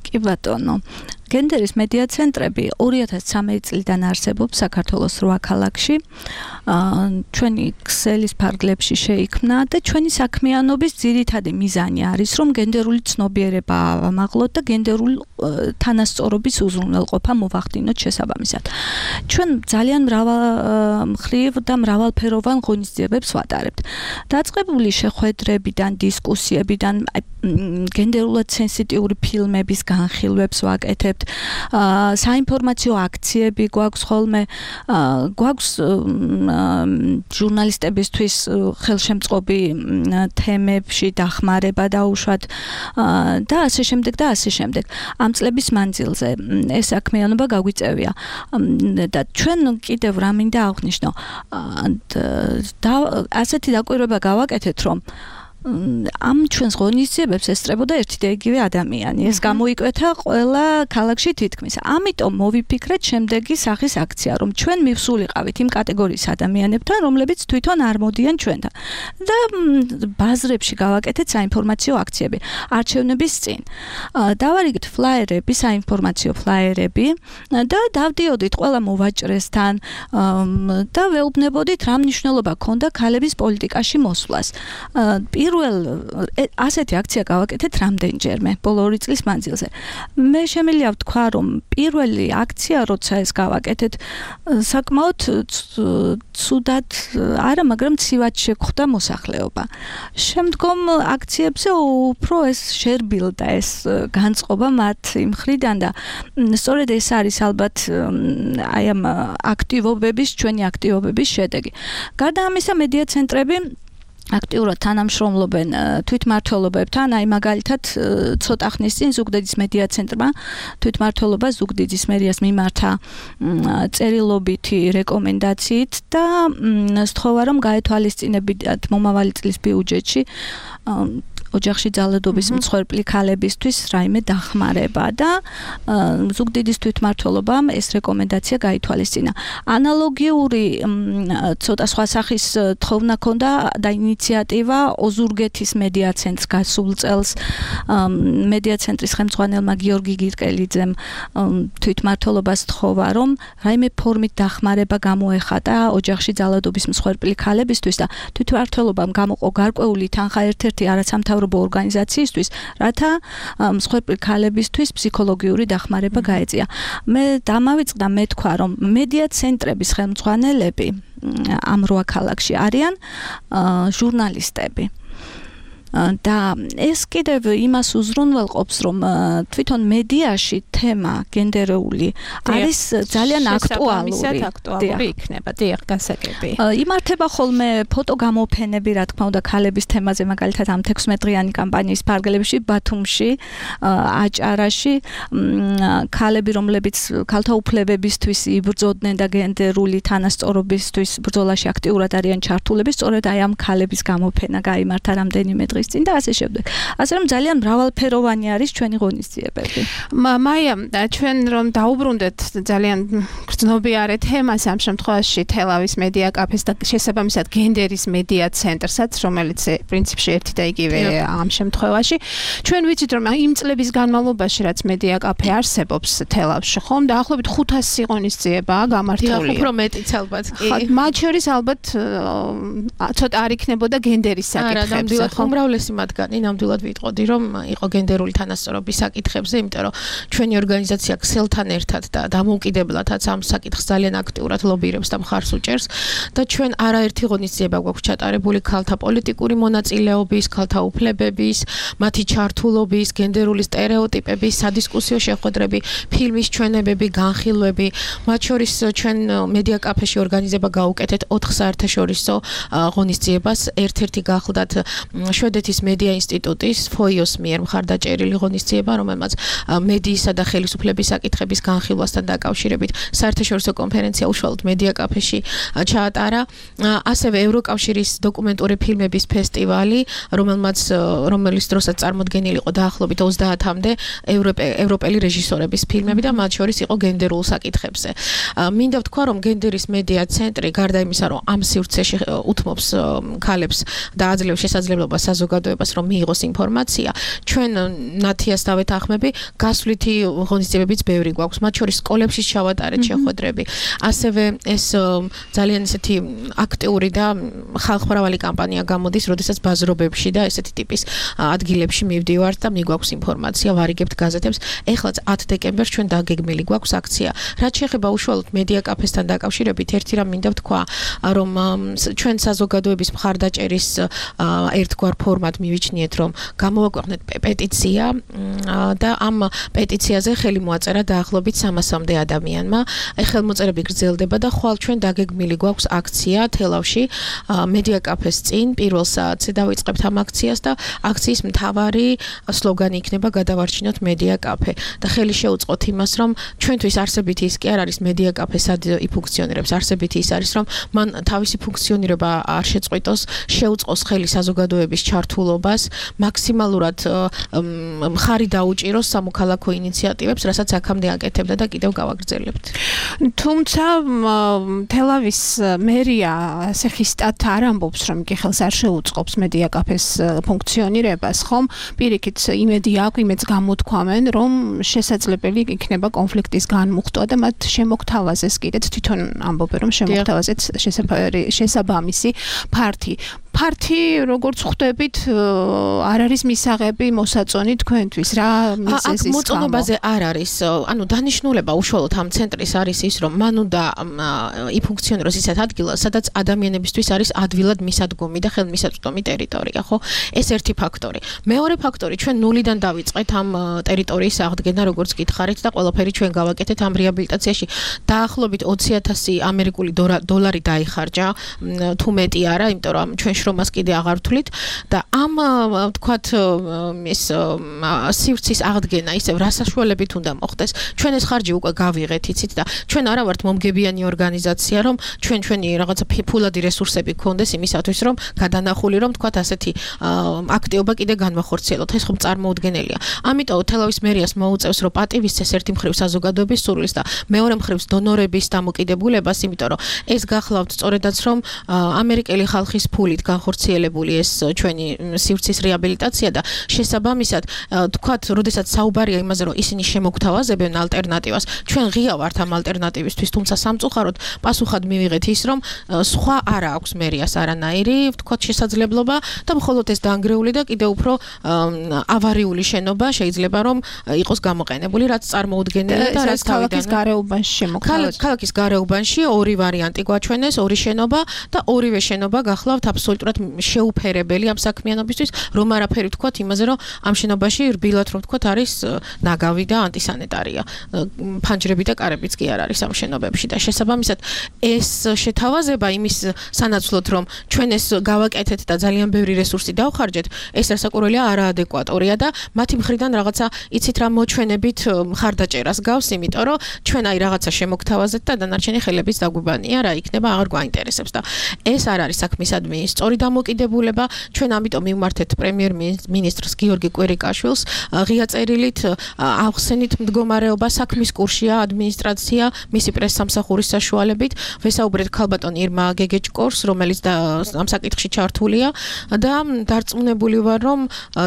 კი ბატონო, გენდერის მედია ცენტრები 2013 წლიდან არსებობს საქართველოს 8 ქალაქში. ჩვენი ქსელის ფარგლებში შეიქმნა და ჩვენი საქმიანობის ძირითადი მიზანი არის, რომ გენდერული ცნობიერება ავამაღლოთ და გენდერული თანასწორობის უზრუნველყოფა მოვახდინოთ შესაბამისად. ჩვენ ძალიან მრავალმხრივ და მრავალფეროვან ღონისძიებებს ვატარებთ. დაწყებული შეხვედრებიდან, დისკუსიებიდან, გენდერულად სენსიტიური ფილმების განხილვებს ვაკეთებთ. საინფორმაციო აქციები გვაქვს ხოლმე, გვაქვს ჟურნალისტებისთვის ხელშემწყობი თემებში დახმარება დაუშვათ და ასე შემდეგ და ასე შემდეგ. ამ წლების მანძილზე ეს საქმიანობა გაგვიწევია და ჩვენ კიდევ რა მინდა აღვნიშნო, ასეთი დაკვირვება გავაკეთეთ, რომ ამ ჩვენს ღონისძიებებს ესწრებოდა ერთი და იგივე ადამიანი. ეს გამოიკვეთა ყველა ქალაქში თითქმის. ამიტომ მოვიფიქრეთ შემდეგი სახის აქცია, რომ ჩვენ მივსულიყავით იმ კატეგორიის ადამიანებთან, რომლებიც თვითონ არ მოდიან ჩვენთან. და ბაზრებში გავაკეთეთ საინფორმაციო აქციები. არჩევნების წინ დავარიგეთ ფლაიერები, საინფორმაციო ფლაიერები და დავდიოდით ყველა მოვაჭრესთან და ვეუბნებოდით რა მნიშვნელობა ჰქონდა ქალების პოლიტიკაში მოსვლას. ასეთი აქცია გავაკეთეთ რამდენჯერმე ბოლო 2 წლის მანძილზე. მე შემიძლია ვთქვა, რომ პირველი აქცია, როცა ეს გავაკეთეთ, საკმაოდ ცუდად არა, მაგრამ ცივად შეგვხვდა მოსახლეობა. შემდგომ აქციებზე უფრო ეს შერბილდა ეს განწყობა მათ მხრიდან და სწორედ ეს არის ალბათ აი ამ აქტივობების, ჩვენი აქტივობების შედეგი. გარდა ამისა, მედია ცენტრები აქტიურად თანამშრომლობენ თვითმმართველობებთან, აი მაგალითად ცოტა ხნის წინ ზუგდიდის მედია ცენტრმა თვითმმართველობა ზუგდიდის მერიას მიმართა წერილობითი რეკომენდაციით და სთხოვა, რომ გაეთვალისწინებინათ მომავალი წლის ბიუჯეტში ოჯახში ძალადობის მსხვერპლი ქალებისთვის რაიმე დახმარება და ზუგდიდის თვითმმართველობამ ეს რეკომენდაცია გაითვალისწინა. ანალოგიური ცოტა სხვა სახის თხოვნა ჰქონდა და ინიციატივა ოზურგეთის მედია ცენტრს გასულ წელს მედია ცენტრის ხელმძღვანელმა გიორგი გირკელიძემ თვითმმართველობას სთხოვა, რომ რაიმე ფორმით დახმარება გამოეხატა ოჯახში ძალადობის მსხვერპლი ქალებისთვის და თვითმმართველობამ გამოყო გარკვეული თანხა ერთ-ერთი არასამთავრობო სამთავრობო ორგანიზაციისთვის, რათა მსხვერპლი ქალებისთვის ფსიქოლოგიური დახმარება გაეწია. მე დამავიწყდა მე თქვა, რომ მედია ცენტრების ხელმძღვანელები ამ 8 ქალაქში არიან ჟურნალისტები. და ეს კიდევ იმას უზრუნველყოფს, რომ თვითონ მედიაში თემა გენდერული არის ძალიან აქტუალური იქნება, დიახ, გასაგები. იმართება ხოლმე ფოტოგამოფენები, რა თქმა უნდა, ქალების თემაზე, მაგალითად ამ 16-დღიანი კამპანიის ფარგლებში, ბათუმში, აჭარაში, ქალები, რომლებიც ქალთა უფლებებისთვის იბრძოდნენ და გენდერული თანასწორობისთვის ბრძოლაში აქტიურად არიან ჩართულები, სწორედ აი ამ ქალების გამოფენა გაიმართა რამდენიმე დღის წინ და ასე შემდეგ. ასე რომ ძალიან მრავალფეროვანი არის ჩვენი ღონისძიებები. მაია, ჩვენ რომ დაუბრუნდეთ ძალიან გრძნობიარე თემას ამ შემთხვევაში თელავის მედია კაფეს და შესაბამისად გენდერის მედია ცენტრსაც, რომელიც პრინციპში ერთი და იგივე ამ შემთხვევაში. ჩვენ ვიცით, რომ იმ წლების განმავლობაში, რაც მედია კაფე არსებობს თელავში, ხომ დაახლოებით 500 ღონისძიებაა გამართული. უფრო მეტიც ალბათ კი. მათ შორის ალბათ ცოტა არ იქნებოდა გენდერის საკითხებზე, ხომ? უმრავლესი მათგანი ნამდვილად ვიტყოდი, რომ იყო გენდერული თანასწორობის საკითხებზე, იმიტომ რომ ჩვენი ორგანიზაცია ქსელთან ერთად და დამოუკიდებლადაც ამ საკითხს ძალიან აქტიურად ლობირებს და მხარს უჭერს და ჩვენ არაერთი ღონისძიება გვაქვს ჩატარებული ქალთა პოლიტიკური მონაწილეობის, ქალთა უფლებების, მათი ჩართულობის, გენდერული სტერეოტიპების, სადისკუსიო შეხვედრები, ფილმის ჩვენებები, განხილვები, მათ შორის ჩვენ მედია კაფეში ორგანიზება გაუკეთეთ 4 საერთაშორისო ღონისძიებას, ერთ-ერთი გახლდათ შვედეთის მედია ინსტიტუტის FOIO-ს მიერ მხარდაჭერილი ღონისძიება, რომელმაც მედიისა და ხელისუფლების საკითხების განხილვასთან დაკავშირებით საერთაშორისო კონფერენცია უშუალოდ მედია კაფეში ჩაატარა. ასევე ევროკავშირის დოკუმენტური ფილმების ფესტივალი, რომელიც დროსაც წარმოდგენილი იყო დაახლოებით 30-მდე ევროპელი რეჟისორების ფილმები და მათ შორის იყო გენდერულ საკითხებზე. მინდა ვთქვა, რომ გენდერის მედია ცენტრი გარდა იმისა, რომ ამ სივრცეში უთმობს ქალებს და აძლევს შესაძლებლობას საზოგადოებას რომ მიიღოს ინფორმაცია, ჩვენ ნათიას დავეთანხმები, გასვლითი ღონისძიებებიც ბევრი გვაქვს, მათ შორის სკოლებში ჩავატარეთ შეხვედრები. ასევე ეს ძალიან ისეთი აქტიური და ხალხმრავალი კამპანია გამოდის, როდესაც ბაზრობებში და ესეთი ტიპის ადგილებში მივდივართ და მიგვაქვს ინფორმაცია, ვარიგებთ გაზეთებს. ეხლაც 10 დეკემბერს ჩვენ დაგეგმილი გვაქვს აქცია. რაც შეეხება უშუალოდ მედია კაფესთან დაკავშირებით, ერთი რამ მინდა ვთქვა, რომ ჩვენ საზოგადოების მხარდაჭერის ერთგვარ ფორმად მივიჩნიეთ, რომ გამოვაქვეყნეთ პეტიცია და ამ პეტიციაზე ხელი მოაწერა დაახლოებით 300-მდე ადამიანმა. ხელმოწერები გრძელდება და ხვალ ჩვენ დაგეგმილი გვაქვს აქცია თელავში მედია კაფეს წინ პირველ საათზე დავიწყებთ ამ აქციას და აქციის მთავარი სლოგანი იქნება გადავარჩინოთ მედია კაფე და ხელი შეუწყოთ იმას, რომ ჩვენთვის არსებითი ის კი არ არის მედია კაფე სად იფუნქციონირებს, არსებითი ის არის, რომ მან თავისი ფუნქციონირება არ შეწყვიტოს, შეუწყოს ხელი საზოგადოების ჩართულობას, მაქსიმალურად მხარი დაუჭიროს სამოქალაქო ინიციატივებს, რასაც აქამდე აკეთებდა და კიდევ გავაგრძელებთ. თუმცა თელავის მერია ასე ხისტად არ ამბობს, რომ კი ხელს არ შეუწყობს მედია კაფეს ფუნქციონირებას, ხომ? პირიქით იმედი აქვს, იმედს გამოთქვამენ, რომ შესაძლებელი იქნება კონფლიქტის განმუხტვა და მათ შემოგთავაზეს კიდეც თვითონ ამბობენ, რომ შემოგთავაზეთ შესაბამისი ფართი. როგორც ხვდებით, არ არის მისაღები მოსაწონი თქვენთვის, რა მიზეზის გამო? მოწონობაზე არ არის. ანუ დანიშნულება უშუალოდ ამ ცენტრის არის ის, რომ მან უნდა იფუნქციონიროს ისეთ ადგილას, სადაც ადამიანებისთვის არის ადვილად მისადგომი და ხელმისაწვდომი ტერიტორია, ხო? ეს ერთი ფაქტორი. მეორე ფაქტორი, ჩვენ ნულიდან დავიწყეთ ამ ტერიტორიის აღდგენა, როგორც გითხარით და ყველაფერი ჩვენ გავაკეთეთ ამ რეაბილიტაციაში. დაახლოებით 20,000 ამერიკული დოლარი დაიხარჯა, თუ მეტი არა, იმიტომ რომ ჩვენ შრომას კიდე აღარ ვთვლით და ამ ვთქვათ ეს სივრცის აღდგენა ისევ რა საშუალებით უნდა მოხდეს. ჩვენ ეს ხარჯი უკვე გავიღეთ, იცით და ჩვენ არა ვართ მომგებიანი ორგანიზაცია, რომ ჩვენი რაღაცა ფულადი რესურსები გქონდეს იმისათვის, რომ გადანახული რომ ვთქვათ ასეთი აქტივობა კიდე განვახორციელოთ. ეს ხომ წარმოუდგენელია. ამიტომ თელავის მერიას მოუწევს, რომ პატივისცეს ერთი მხრივ საზოგადოების სურვილს და მეორე მხრივ დონორების დამოკიდებულებას, იმიტომ რომ ეს გახლავთ სწორედაც რომ ამერიკელი ხალხის ფულით განხორციელებული ეს ჩვენი სივრცის რეაბილიტაცია და შესაბამისად თქვათ, როდესაც საუბარია იმაზე, რომ ისინი შემოგთავაზებენ ალტერნატივას, ჩვენ ღია ვართ ამ ალტერნატივისთვის, თუმცა სამწუხაროდ პასუხად მივიღეთ ის, რომ სხვა არა აქვს მერიას არანაირი, თქვათ, შესაძლებლობა და მხოლოდ ეს დაანგრეული და კიდევ უფრო ავარიული შენობა შეიძლება რომ იყოს გამოყენებული, რაც წარმოუდგენელია და რაც ქალაქის გარეუბანში შემოქმედებს. ქალაქის გარეუბანში ორი ვარიანტი გვაჩვენეს, ორი შენობა და ორივე შენობა გახლავთ აბსოლუტურად შეუფერებელი ამ საქმიანობისთვის, რომ არაფერი ვთქვათ იმაზე, რომ ამ შენობაში რბილად რომ ვთქვათ არის ნაგავი და ანტისანიტარია. ფანჯრები და კარებიც კი არ არის ამ შენობებში და შესაბამისად ეს შეთავაზება იმის სანაცვლოდ რომ ჩვენ ეს გავაკეთეთ და ძალიან ბევრი რესურსი დავხარჯეთ, ეს რასაკვირველია არაადეკვატორია და მათი მხრიდან რაღაცა იცით რა მოჩვენებით მხარდაჭერას გავს, იმიტომ რომ ჩვენ აი რაღაცა შემოგთავაზეთ და დანარჩენი ხელების დაგვიბანია, რა იქნება აღარ გვაინტერესებს და ეს არ არის საქმისადმი სწორი დამოკიდებულება. ჩვენ ამიტომ მივმართეთ პრემიერ-მინისტრს გიორგი კვირიკაშვილს ღია წერილით ახსენით მდგომარეობა, საქმის კურსია ადმინისტრაცია, მისი პრესსამსახურის საშუალებით, ვესაუბრეთ ქალბატონ ირმა გეგეჭკორს, რომელიც ამ საკითხში ჩართულია და დარწმუნებული ვარ, რომ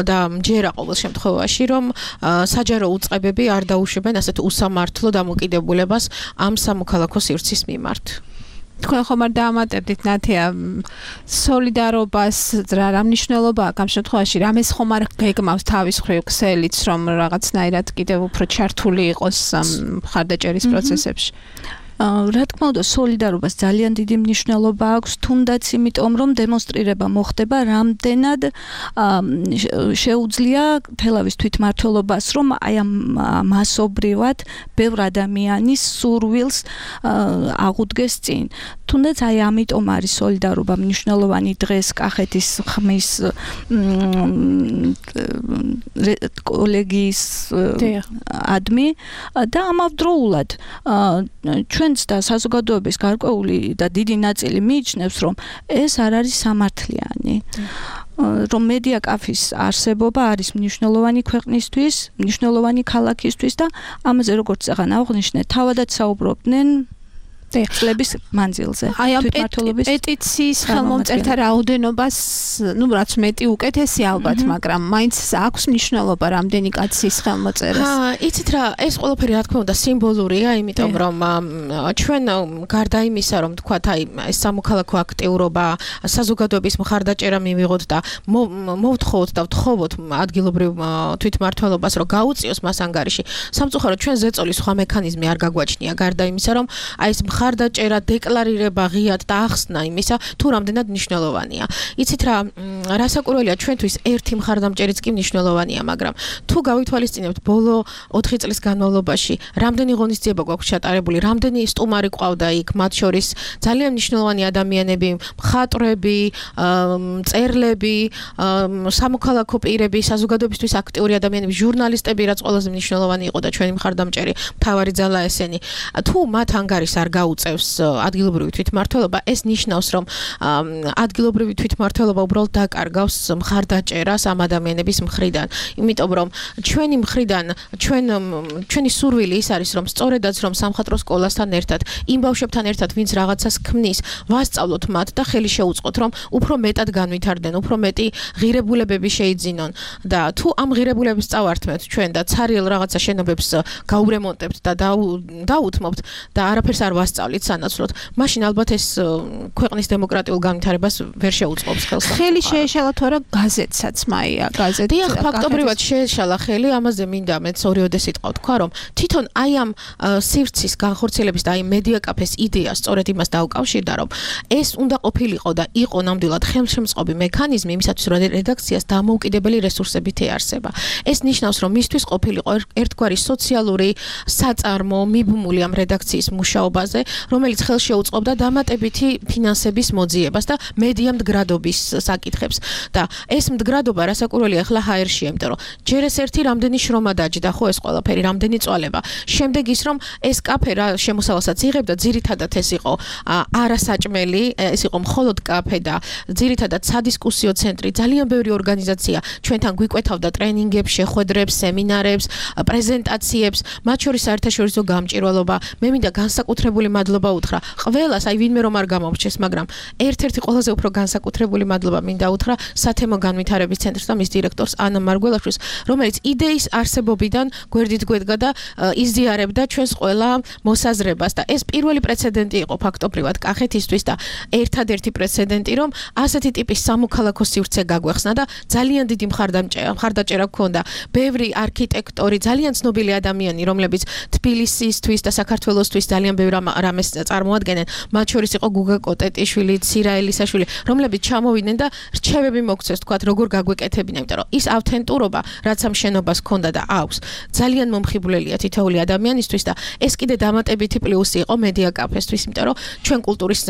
და მჯერა ყოველ შემთხვევაში, რომ საჯარო უწყებები არ დაუშვებენ ასეთ უსამართლო დამოკიდებულებას ამ სამოქალაქო სივრცის მიმართ. თქვენ ხომ არ დაამატებდით ნათია სოლიდარობას რა მნიშვნელობა აქვს ამ შემთხვევაში, რამეს ხომ არ გეგმავს თავის მხრივ ქსელიც, რომ რაღაცნაირად კიდევ უფრო ჩართული იყოს ამ მხარდაჭერის პროცესებში. რა თქმა უნდა, სოლიდარობას ძალიან დიდი მნიშვნელობა აქვს, თუნდაც იმიტომ, რომ დემონსტრირება მოხდება, რამდენად შეუძლია თელავის თვითმმართველობას, რომ აი ამ მასობრივად ბევრ ადამიანის სურვილს აღუდგეს წინ. თუნდაც აი ამიტომ არის სოლიდარობა მნიშვნელოვანი დღეს კახეთის ხმის კოლეგიის ადმი და ამავდროულად ჩვენც და საზოგადოების გარკვეული და დიდი ნაწილი მიიჩნევს, რომ ეს არ არის სამართლიანი. რომ მედია კაფის არსებობა არის მნიშვნელოვანი ქვეყნისთვის, მნიშვნელოვანი ქალაქისთვის და ამაზე როგორც აღარ აღვნიშნე, თავადაც საუბრობდნენ წლების მანძილზე. აი ამ პეტიციის ხელმომწერთა რაოდენობას, რაც მეტი უკეთესი ალბათ, მაგრამ მაინც აქვს მნიშვნელობა რამდენი კაცის ხელმოწერას. იცით რა, ეს ყველაფერი რა თქმა უნდა სიმბოლურია, იმიტომ რომ ჩვენ გარდა იმისა, რომ თქვათ აი ეს სამოქალაქო აქტიურობა, საზოგადოების მხარდაჭერა მივიღოთ და მოვთხოვოთ და ვთხოვოთ ადგილობრივ თვითმმართველობას, რომ გაუწიოს მას ანგარიში. სამწუხაროდ ჩვენ ზეწოლის სხვა მექანიზმი არ გაგვაჩნია, გარდა იმისა, რომ აი ეს მხარდაჭერა, დეკლარირება ღიად და ახსნა იმისა, თუ რამდენად მნიშვნელოვანია. იცით რა, რასაკვირველია ჩვენთვის ერთი მხარდამჭერიც კი მნიშვნელოვანია, მაგრამ თუ გავითვალისწინებთ ბოლო 4 წლის განმავლობაში, რამდენი ღონისძიება გვაქვს ჩატარებული, რამდენი სტუმარი ყავდა იქ, მათ შორის ძალიან მნიშვნელოვანი ადამიანები, მხატვრები, მწერლები, სამოქალაქო პირები, საზოგადოებისთვის აქტიური ადამიანები, ჟურნალისტები, რაც ყველაზე მნიშვნელოვანი იყო და ჩვენი მხარდამჭერი მთავარი ძალა ესენი. თუ მათ ანგარიშს არ გაუწევს ადგილობრივი თვითმმართველობა, ეს ნიშნავს, რომ ადგილობრივი თვითმმართველობა უბრალოდ დაკარგავს მხარდაჭერას ამ ადამიანების მხრიდან. იმიტომ რომ ჩვენი მხრიდან ჩვენი სურვილი ის არის, რომ სწორედაც რომ სამხატვრო სკოლასთან ერთად, იმ ბავშვებთან ერთად, ვინც რაღაცას ქმნის, ვასწავლოთ მათ და ხელი შეუწყოთ, რომ უფრო მეტად განვითარდნენ, უფრო მეტი ღირებულებები შეიძინონ და თუ ამ ღირებულებას წავართმევთ ჩვენ და ცარიელ რაღაცა შენობებს გაურემონტებთ და დაუთმობთ და არაფერს არ ვასწავლით სანაცვლოდ, მაშინ ალბათ ეს ქვეყნის დემოკრატიულ განვითარებას ვერ შეუწყობს ხელს. ხელი შეეშალა თუ არა გაზეთსაც მაია, გაზეთი. დიახ, ფაქტობრივად შეეშალა ხელი, ამაზე მინდა მეც ორიოდე სიტყვა ვთქვა, რომ თვითონ აი ამ სივრცის განხორციელების და აი მედია კაფეს იდეა სწორედ იმას დაუკავშირდა, რომ ეს უნდა ყოფილიყო და იყო ნამდვილად ხელშემწყობი მექანიზმი იმისათვის, რომ რედაქციას დამოუკიდებელი რესურსებით ეარსება. ეს ნიშნავს, რომ მისთვის ყოფილიყო ერთგვარი სოციალური საწარმო, მიბმული ამ რედაქციის მუშაობაზე, რომელიც ხელს შეუწყობდა დამატებითი ფინანსების მოძიებას და მედია მდგრადობის საკითხებს. აკეთებს და ეს მდგრადობა რასაკვირველია ახლა ჰაერშია, იმიტომ რომ ჯერ ეს ერთი რამდენი შრომა დაჯდა ხო ეს ყველაფერი, რამდენი წვალება. შემდეგ ის რომ ეს კაფე რა შემოსავალსაც იღებდა, ძირითადად ეს იყო არასაჭმელი, ეს იყო მხოლოდ კაფე და ძირითადად სადისკუსიო ცენტრი, ძალიან ბევრი ორგანიზაცია ჩვენთან გვიკვეთავდა ტრენინგებს, შეხვედრებს, სემინარებს, პრეზენტაციებს, მათ შორის საერთაშორისო გამჭირვალობა. მე მინდა განსაკუთრებული მადლობა უთხრა ყველას, აი ვინმე რომ არ გამომრჩეს, მაგრამ ერთ-ერთი ყველაზე უფრო განსაკუთრებული მადლობა მინდა უთხრა სათემო განვითარების ცენტრს და მის დირექტორს ანა მარგველაშვილს, რომელიც იდეის არსებობიდან გვერდით გვედგა და იზიარებდა ჩვენს ყველა მოსაზრებას და ეს პირველი პრეცედენტი იყო ფაქტობრივად კახეთისთვის და ერთადერთი პრეცედენტი, რომ ასეთი ტიპის სამოქალაქო სივრცე გაგვეხსნა და ძალიან დიდი მხარდაჭერა გქონდა. ბევრი არქიტექტორი, ძალიან ცნობილი ადამიანი, რომლებიც თბილისისთვის და საქართველოსთვის ძალიან ბევრ რამეს წარმოადგენენ, მათ შორის იყო გუგა კოტეტიშვილი, ცირა ელისაშვილი, რომლებიც ჩამოვიდნენ და რჩევები მოგცეს, თქვათ, როგორ გაგვეკეთებინა, იმიტომ რომ ის ავთენტურობა, რაც ამ შენობას ჰქონდა და აქვს, ძალიან მომხიბვლელია თითოეული ადამიანისთვის და ეს კიდე დამატებითი პლუსი იყო მედია კაფესთვის, იმიტომ რომ ჩვენ კულტურის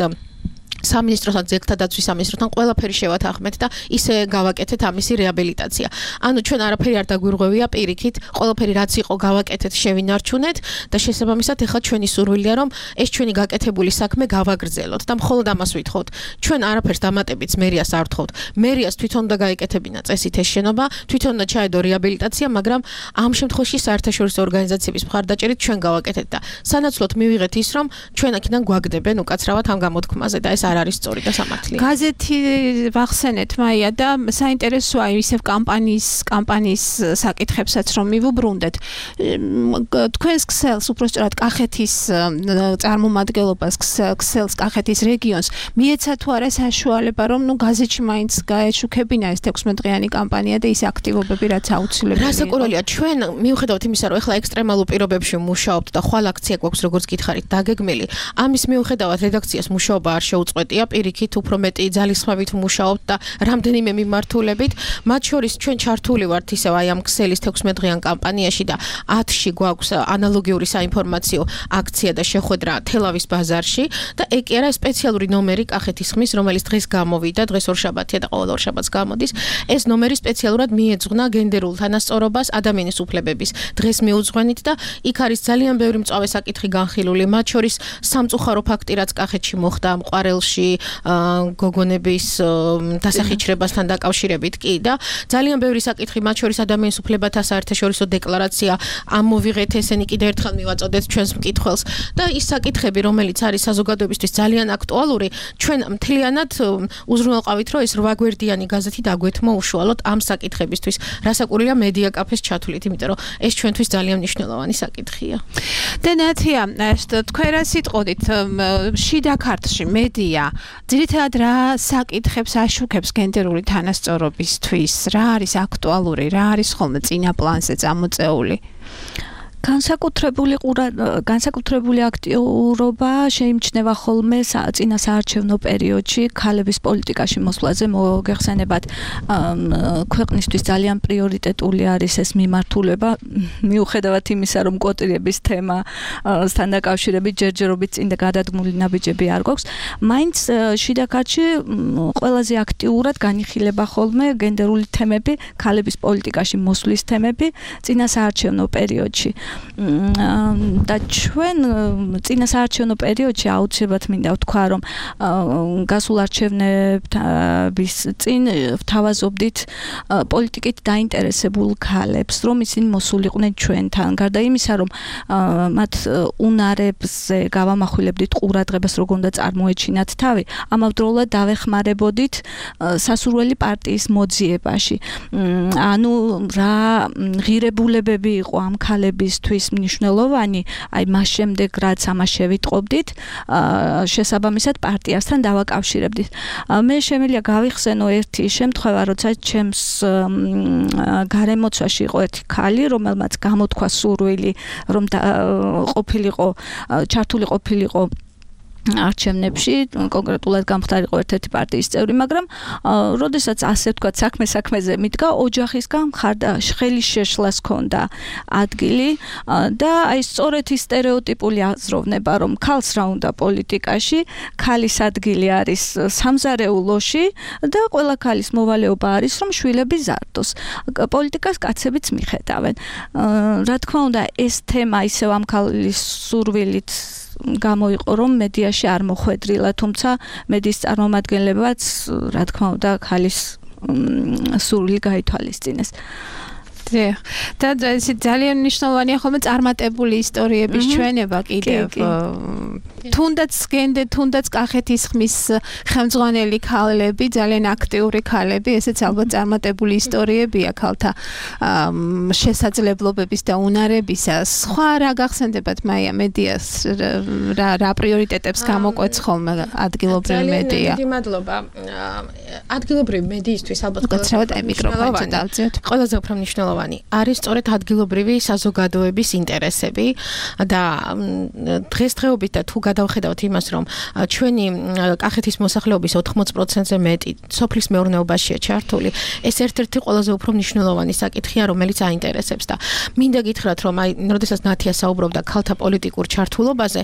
სამინისტროსთან, ძეგლთა დაცვის სამინისტროსთან ყველაფერი შევათანხმეთ და ისე გავაკეთეთ ამისი რეაბილიტაცია. ანუ ჩვენ არაფერი არ დაგვირღვევია პირიქით, ყველაფერი რაც იყო გავაკეთეთ, შევინარჩუნეთ და შესაბამისად ეხლა ჩვენი სურვილია რომ ეს ჩვენი გაკეთებული საქმე გავაგრძელოთ და მხოლოდ ამას ვითხოვთ. ჩვენ არაფერს დამატებიც მერიას არ ვთხოვთ. მერიას თვითონ უნდა გაეკეთებინა წესით ეს შენობა, თვითონ უნდა ჩაედო რეაბილიტაცია, მაგრამ ამ შემთხვევაში საერთაშორისო ორგანიზაციების მხარდაჭერით ჩვენ გავაკეთეთ და სანაცვლოდ მივიღეთ ის რომ ჩვენ აქედან გვაგდებენ უკაცრავად ამ გამოთქმაზე და ეს არ არის სწორი და სამართლია. გაზეთი ვახსენეთ მაია და საინტერესოა ისევ კამპანიის საკითხებსაც რომ მივუბრუნდეთ. თქვენს ქსელს, უпроსტად კახეთის წარმომადგენლობას, ქსელს კახეთის რეგიონს მიეცა თუ არა საშუალება რომ გაზეთში მაინც გაეშუქებინა ეს 16 დღიანი კამპანია და ის აქტივობები რაც აუცილებელია. რასაკვირველია, ჩვენ მიუხედავად იმისა რომ ეხლა ექსტრემალურ პირობებში მუშაობთ და ხვალ აქცია გვაქვს როგორც გითხარით დაგეგმილი, ამის მიუხედავად რედაქციას მუშაობა არ შეუწყვეტია, პირიქით უფრო მეტი ძალისხმევით მუშაობთ და რამდენიმე მიმართულებით, მათ შორის ჩვენ ჩართული ვართ ისევ აი ამ ქსელის 16 დღიან კამპანიაში და 10-ში გვაქვს ანალოგიური საინფორმაციო აქცია და შეხვედრა თელავის ბაზარში და ეგ კი არა სპეციალური ნომერი კახეთის ხმის, რომელიც დღეს გამოვიდა, დღეს ორშაბათია და ყოველ ორშაბათს გამოდის. ეს ნომერი სპეციალურად მიეძღვნა გენდერულ თანასწორობას, ადამიანის უფლებების დღეს მიუძღვენით და იქ არის ძალიან ბევრი მწვავე საკითხი განხილული, მათ შორის სამწუხარო ფაქტი რაც კახეთში მოხდა მყარელში გოგონების დასახიჩრებასთან დაკავშირებით კი და ძალიან ბევრი საკითხი, მათ შორის ადამიანის უფლებათა საერთაშორისო დეკლარაცია, ამოვიღეთ ესენი კიდევ ერთხელ მივაწოდეთ ჩვენს მკითხველს და ის საკითხები, რომელიც არის საზოგადოებისთვის ძალიან აქტუალური, ჩვენ მთლიანად უზრუნველყავით, რომ ეს 8 გვერდიანი გაზეთი დაგვეთმო უშუალოდ ამ საკითხებისთვის. რასაკვირველია მედია კაფეს ჩათვლით, იმიტომ რომ ეს ჩვენთვის ძალიან მნიშვნელოვანი საკითხია. და ნათია, თქვენ რა სიტყოდით შიდა ქართლში მედია ძირითადად რა საკითხებს აშუქებს გენდერული თანასწორობისთვის, რა არის აქტუალური, რა არის ხოლმე წინა პლანზე წამოწეული? განსაკუთრებული აქტიურობა შეიმჩნევა ხოლმე წინა საარჩევნო პერიოდში ქალების პოლიტიკაში მოსვლაზე. მოგეხსენებათ, ქვეყნისთვის ძალიან პრიორიტეტული არის ეს მიმართულება, მიუხედავად იმისა, რომ კვოტირების თემასთან დაკავშირებით ჯერჯერობით წინ და გადადგმული ნაბიჯები არ გვაქვს, მაინც შიდა ქართლში ყველაზე აქტიურად განიხილება ხოლმე გენდერული თემები, ქალების პოლიტიკაში მოსვლის თემები წინა საარჩევნო პერიოდში. და ჩვენ წინა საარჩევნო პერიოდში აუცილებლად მინდა ვთქვა, რომ გასულ არჩევნების წინ ვთავაზობდით პოლიტიკით დაინტერესებულ ქალებს, რომ ისინი მოსულიყვნენ ჩვენთან. გარდა იმისა, რომ მათ უნარებზე გავამახვილებდით ყურადღებას, როგორ უნდა წარმოეჩინათ თავი, ამავდროულად დავეხმარებოდით სასურველი პარტიის მოძიებაში. ანუ რა ღირებულებები იყო ამ ქალებისთვის მნიშვნელოვანი, აი მას შემდეგ რაც ამას შევიტყობდით, შესაბამისად პარტიასთან დავაკავშირებდით. მე შემიძლია გავიხსენო ერთი შემთხვევა, როცა ჩემს გარემოცვაში იყო ერთი ქალი, რომელმაც გამოთქვა სურვილი, რომ ჩართული ყოფილიყო არჩევნებში კონკრეტულად გამხდარიყო ერთ-ერთი პარტიის წევრი, მაგრამ როდესაც ასე ვთქვათ საქმეზე მიდგა, ოჯახისგან მხარდა ხელის შეშლას ჰქონდა ადგილი და აი სწორედ ის სტერეოტიპული აზროვნება, რომ ქალს რა უნდა პოლიტიკაში, ქალის ადგილი არის სამზარეულოში და ყველა ქალის მოვალეობა არის, რომ შვილები ზარდოს. პოლიტიკას კაცებიც მიხედავენ. რა თქმა უნდა, ეს თემა ისევ ამ ქალის სურვილით გამოიყო, რომ მედიაში არ მოხვედრილა, თუმცა მედიის წარმომადგენლებაც, რა თქმა უნდა, ქალის სურვილი გაითვალისწინეს. და ეს ძალიან მნიშვნელოვანია ხოლმე წარმატებული ისტორიების ჩვენება კიდევ. თუნდაც კახეთის ხმის ხელმძღვანელი ქალები, ძალიან აქტიური ქალები, ესეც ალბათ წარმატებული ისტორიებია ქალთა შესაძლებლობების და უნარებისა. სხვა რა გახსენდებათ მაია მედიას რა პრიორიტეტებს გამოკვეთს ხოლმე ადგილობრივი მედია? დიდი მადლობა. ადგილობრივი მედიისთვის ალბათ ყველაზე უფრო მნიშვნელოვანი არის სწორედ ადგილობრივი საზოგადოების ინტერესები და დღესდღეობით და თუ გადავხედავთ იმას, რომ ჩვენი კახეთის მოსახლეობის 80%-ზე მეტი სოფლის მეურნეობაშია ჩართული, ეს ერთ-ერთი ყველაზე უფრო მნიშვნელოვანი საკითხია, რომელიც აინტერესებს და მინდა გითხრათ, რომ აი, როდესაც ნათია საუბრობდა ქალთა პოლიტიკურ ჩართულობაზე,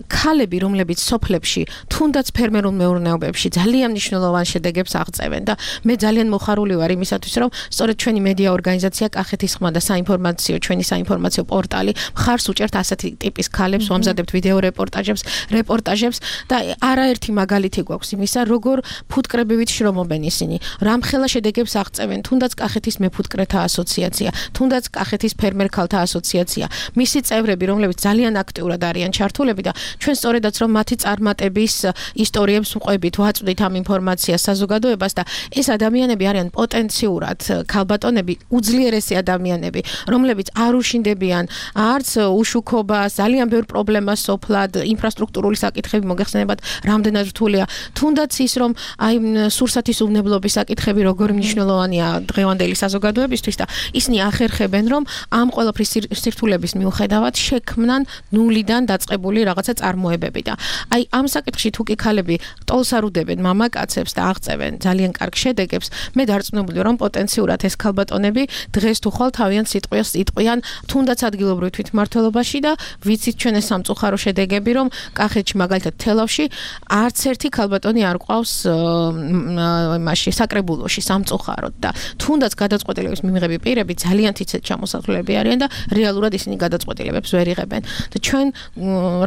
ქალები, რომლებიც სოფლებში, თუნდაც ფერმერულ მეურნეობებში ძალიან მნიშვნელოვან შედეგებს აღწევენ და მე ძალიან მოხარული ვარ იმისათვის, რომ სწორედ ჩვენი მედია ორგანიზაცია კახეთის ხმა და ჩვენი საინფორმაციო პორტალი მხარს უჭერთ ასეთი ტიპის ქალებს, ვამზადებთ ვიდეო რეპორტაჟებს და არაერთი მაგალითი გვაქვს იმისა, როგორ ფუტკრებივით შრომობენ ისინი, რამხელა შედეგებს აღწევენ, თუნდაც კახეთის მეფუტკრეთა ასოციაცია, თუნდაც კახეთის ფერმერ ქალთა ასოციაცია, მისი წევრები, რომლებიც ძალიან აქტიურად არიან ჩართულები და ჩვენ სწორედაც რომ მათი წარმატების ისტორიებს ვყვებით, ვაწვდით ამ ინფორმაციას საზოგადოებას და ეს ადამიანები არიან პოტენციურად ქალბატონები, უძლიერესი ადამიანები, რომლებიც არ უშინდებიან არც უშუქობას, ძალიან ბევრ პრობლემას სოფლად, ინფრასტრუქტურული საკითხები მოგეხსენებათ, რამდენად რთულია. თუნდაც ის, რომ აი სურსათის უვნებლობის საკითხები როგორი მნიშვნელოვანია დღევანდელი საზოგადოებისთვის და ისინი ახერხებენ, რომ ამ ყველაფრის სირთულების მიუხედავად შექმნან ნულიდან დაწყებული რაღაცა წარმოებები და აი ამ საკითხში თუ კი ქალები ტოლს არ უდებენ მამაკაცებს და აღწევენ ძალიან კარგ შედეგებს, მე დარწმუნებული რომ პოტენციურად ეს ქალბატონები დღეს თუ ხვალ თავიანთ სიტყვას იტყვიან თუნდაც ადგილობრივ თვითმმართველობაში და ვიცით ჩვენ ეს სამწუხარო შედეგები, რომ კახეთში მაგალითად თელავში არც ერთი ქალბატონი არ ყავს იმაში საკრებულოში სამწუხაროდ და თუნდაც გადაწყვეტილების მიღები პირები ძალიან თითქოს ჩამოსახლები არიან და რეალურად ისინი გადაწყვეტილებებს ვერ იღებენ და ჩვენ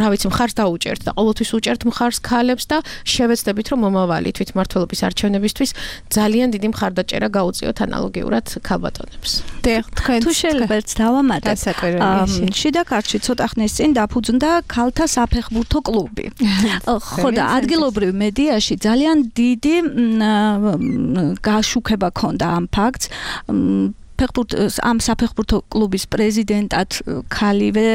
რა ვიცი მხარს დაუჭერთ და ყოველთვის უჭერთ მხარს ქალებს და შევეცდებით რომ მომავალი თვითმმართველობის არჩევნებისთვის ძალიან დიდი მხარდაჭერა გაუწიოთ ანალოგიურად ქალბატონებს. თუ შეიძლება ერთ დავამატებ, შიდა ქართლში ცოტა ხნის წინ დაფუძნდა ქალთა საფეხბურთო კლუბი. ხო და ადგილობრივ მედიაში ძალიან დიდი გაშუქება ჰქონდა ამ ფაქტს. ამ საფეხბურთო კლუბის პრეზიდენტად ქალივე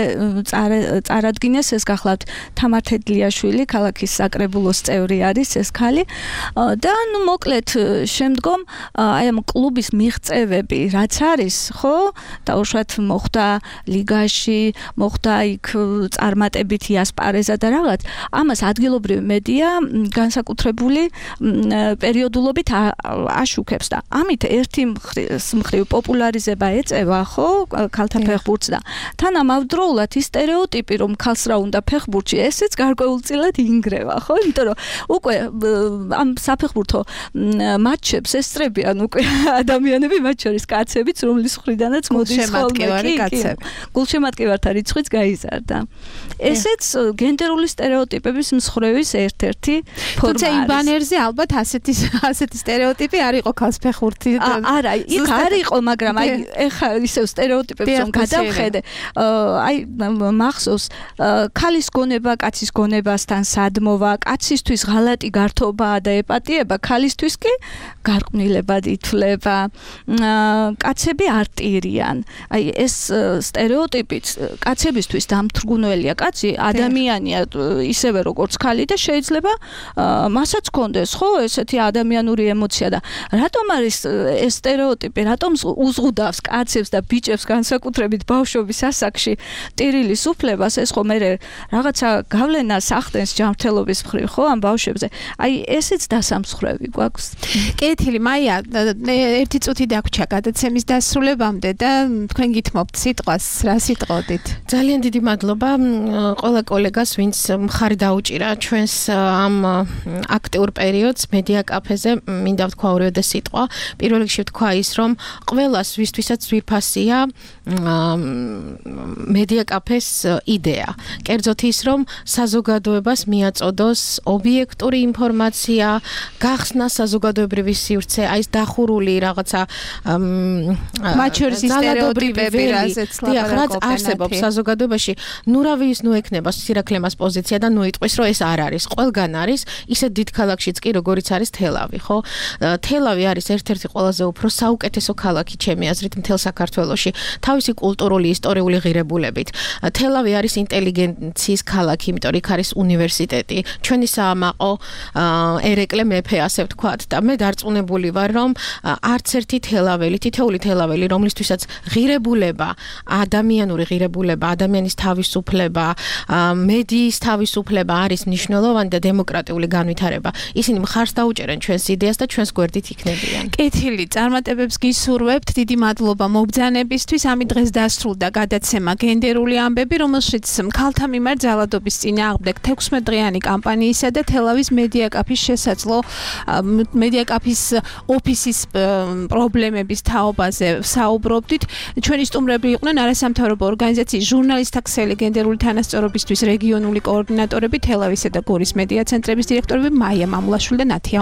წარადგინეს, ეს გახლავთ თამარ თედლიაშვილი, ქალაქის საკრებულოს წევრი არის ეს ქალი და ნუ მოკლედ შემდგომ აი ამ კლუბის მიღწევები რაც არის, ხო, დაუშვათ მოხდა ლიგაში, მოხდა იქ წარმატებით იასპარეზა და რაღაც, ამას ადგილობრივი მედია განსაკუთრებული პერიოდულობით აშუქებს და ამით ერთი მხრივ პოპულარიზება ეწევა, ხო, ქალთა ფეხბურთს და თან ამავდროულად ის სტერეოტიპი, რომ ქალს რა უნდა ფეხბურთში, ესეც გარკვეულწილად ინგრევა, ხო? იმიტომ რომ უკვე ამ საფეხბურთო მატჩებს ესწრებიან უკვე ადამიანები, მათ შორის კაცებიც, რომლის მხრიდანაც მოდის ხოლმე კაცები. გულშემატკივართა რიცხვიც გაიზარდა. ესეც გენდერული სტერეოტიპების მსხვერპლის ერთ-ერთი ფორმა. თუმცა იმ ბანერზე ალბათ ასეთი სტერეოტიპი არ იყო ქალს ფეხბურთი. არა, იქ არ იყო, მაგრამ აი ეხა ისევ სტერეოტიპებს რომ გადავხედე, აი მახსოვს ქალის გონება კაცის გონებასთან სადმოვა, კაცისთვის ღალატი გართობაა და ეპატიება, ქალისთვის კი გარყვნილებად ითვლება. კაცები არტირიან. აი ეს სტერეოტიპიც კაცებისთვის დამთრგუნველია. კაცი ადამიანია ისევე როგორც ქალი და შეიძლება მასაც ჰქონდეს, ხო, ესეთი ადამიანური ემოცია და რატომ არის ეს სტერეოტიპი, რატომ უზღუდავს კაცებს და ბიჭებს განსაკუთრებით ბავშვობის ასაკში ტირილის უფლებას, ეს ხო მე რაღაცა გავლენას ახდენს ჯანმრთელობის მხრივ, ხო, ამ ბავშვებზე. აი, ესეც დასამსხვრევი გვაქვს. კეთილი, მაია, ერთი წუთი დაგვრჩა გადაცემის დასრულებამდე და თქვენ გითმობთ სიტყვას, რა სიტყოდით? ძალიან დიდი მადლობა ყველა კოლეგას, ვინც მხარი დაუჭირა ჩვენს ამ აქტიურ პერიოდს მედია კაფეზე. მინდა ვთქვა ორივე სიტყვა. პირველ რიგში ვთქვა ის, რომ ყველას ვისთვისაც ძვირფასია მედია კაფეს იდეა. კერძოდ ის, რომ საზოგადოებას მიაწოდოს ობიექტური ინფორმაცია, გახსნა საზოგადოებრივი სივრცე, აი ეს დახურული რაღაცა მათ შორის სტერეოტიპები, რაც არსებობს საზოგადოებაში, ნუ რა ვის ნუ ექნება სირაქლემას პოზიცია და ნუ იტყვის, რომ ეს არ არის. ყველგან არის, ისე დიდ ქალაქშიც კი, როგორიც არის თელავი, ხო? თელავი არის ერთ-ერთი ყველაზე უფრო საუკეთესო ქალაქი ჩემი აზრით მთელ საქართველოში, თავისი კულტურული, ისტორიული ღირებულებით. თელავი არის ინტელიგენციის ქალაქი, იმიტომ რომ იქ არის უნივერსიტეტი, ჩვენი საამაყო, ერეკლე მეფე, ასე ვთქვათ, და მე დარწმუნებული ვარ, რომ არც ერთი თელაველი, თითოეული თელაველი, რომლისთვისაც ღირებულება, ადამიანური ღირებულება, ადამიანის თავისუფლება, მედიის თავისუფლება არის მნიშვნელოვანი და დემოკრატიული განვითარება. ისინი მხარს დაუჭერენ ჩვენს იდეას და ჩვენს გვერდით იქნებიან. კეთილი, წარმატებებს გისურვებთ. დიდი მადლობა მობრძანებისთვის. ამით დღეს დასრულდა გადაცემა გენდერული ამბები, რომელშიც ქალთა მიმართ ძალადობის წინააღმდეგ 16 დღიანი კამპანიისა და თელავის მედია კაფის შესაძლო მედია კაფის ოფისის პრობლემების თაობაზე საუბრობდით. ჩვენი სტუმრები იყვნენ არასამთავრობო ორგანიზაციის ჟურნალისტთა ქსელი გენდერული თანასწორობისთვის რეგიონული კოორდინატორები, თელავისა და გორის მედია ცენტრების დირექტორები მაია მამულაშვილი და ნათია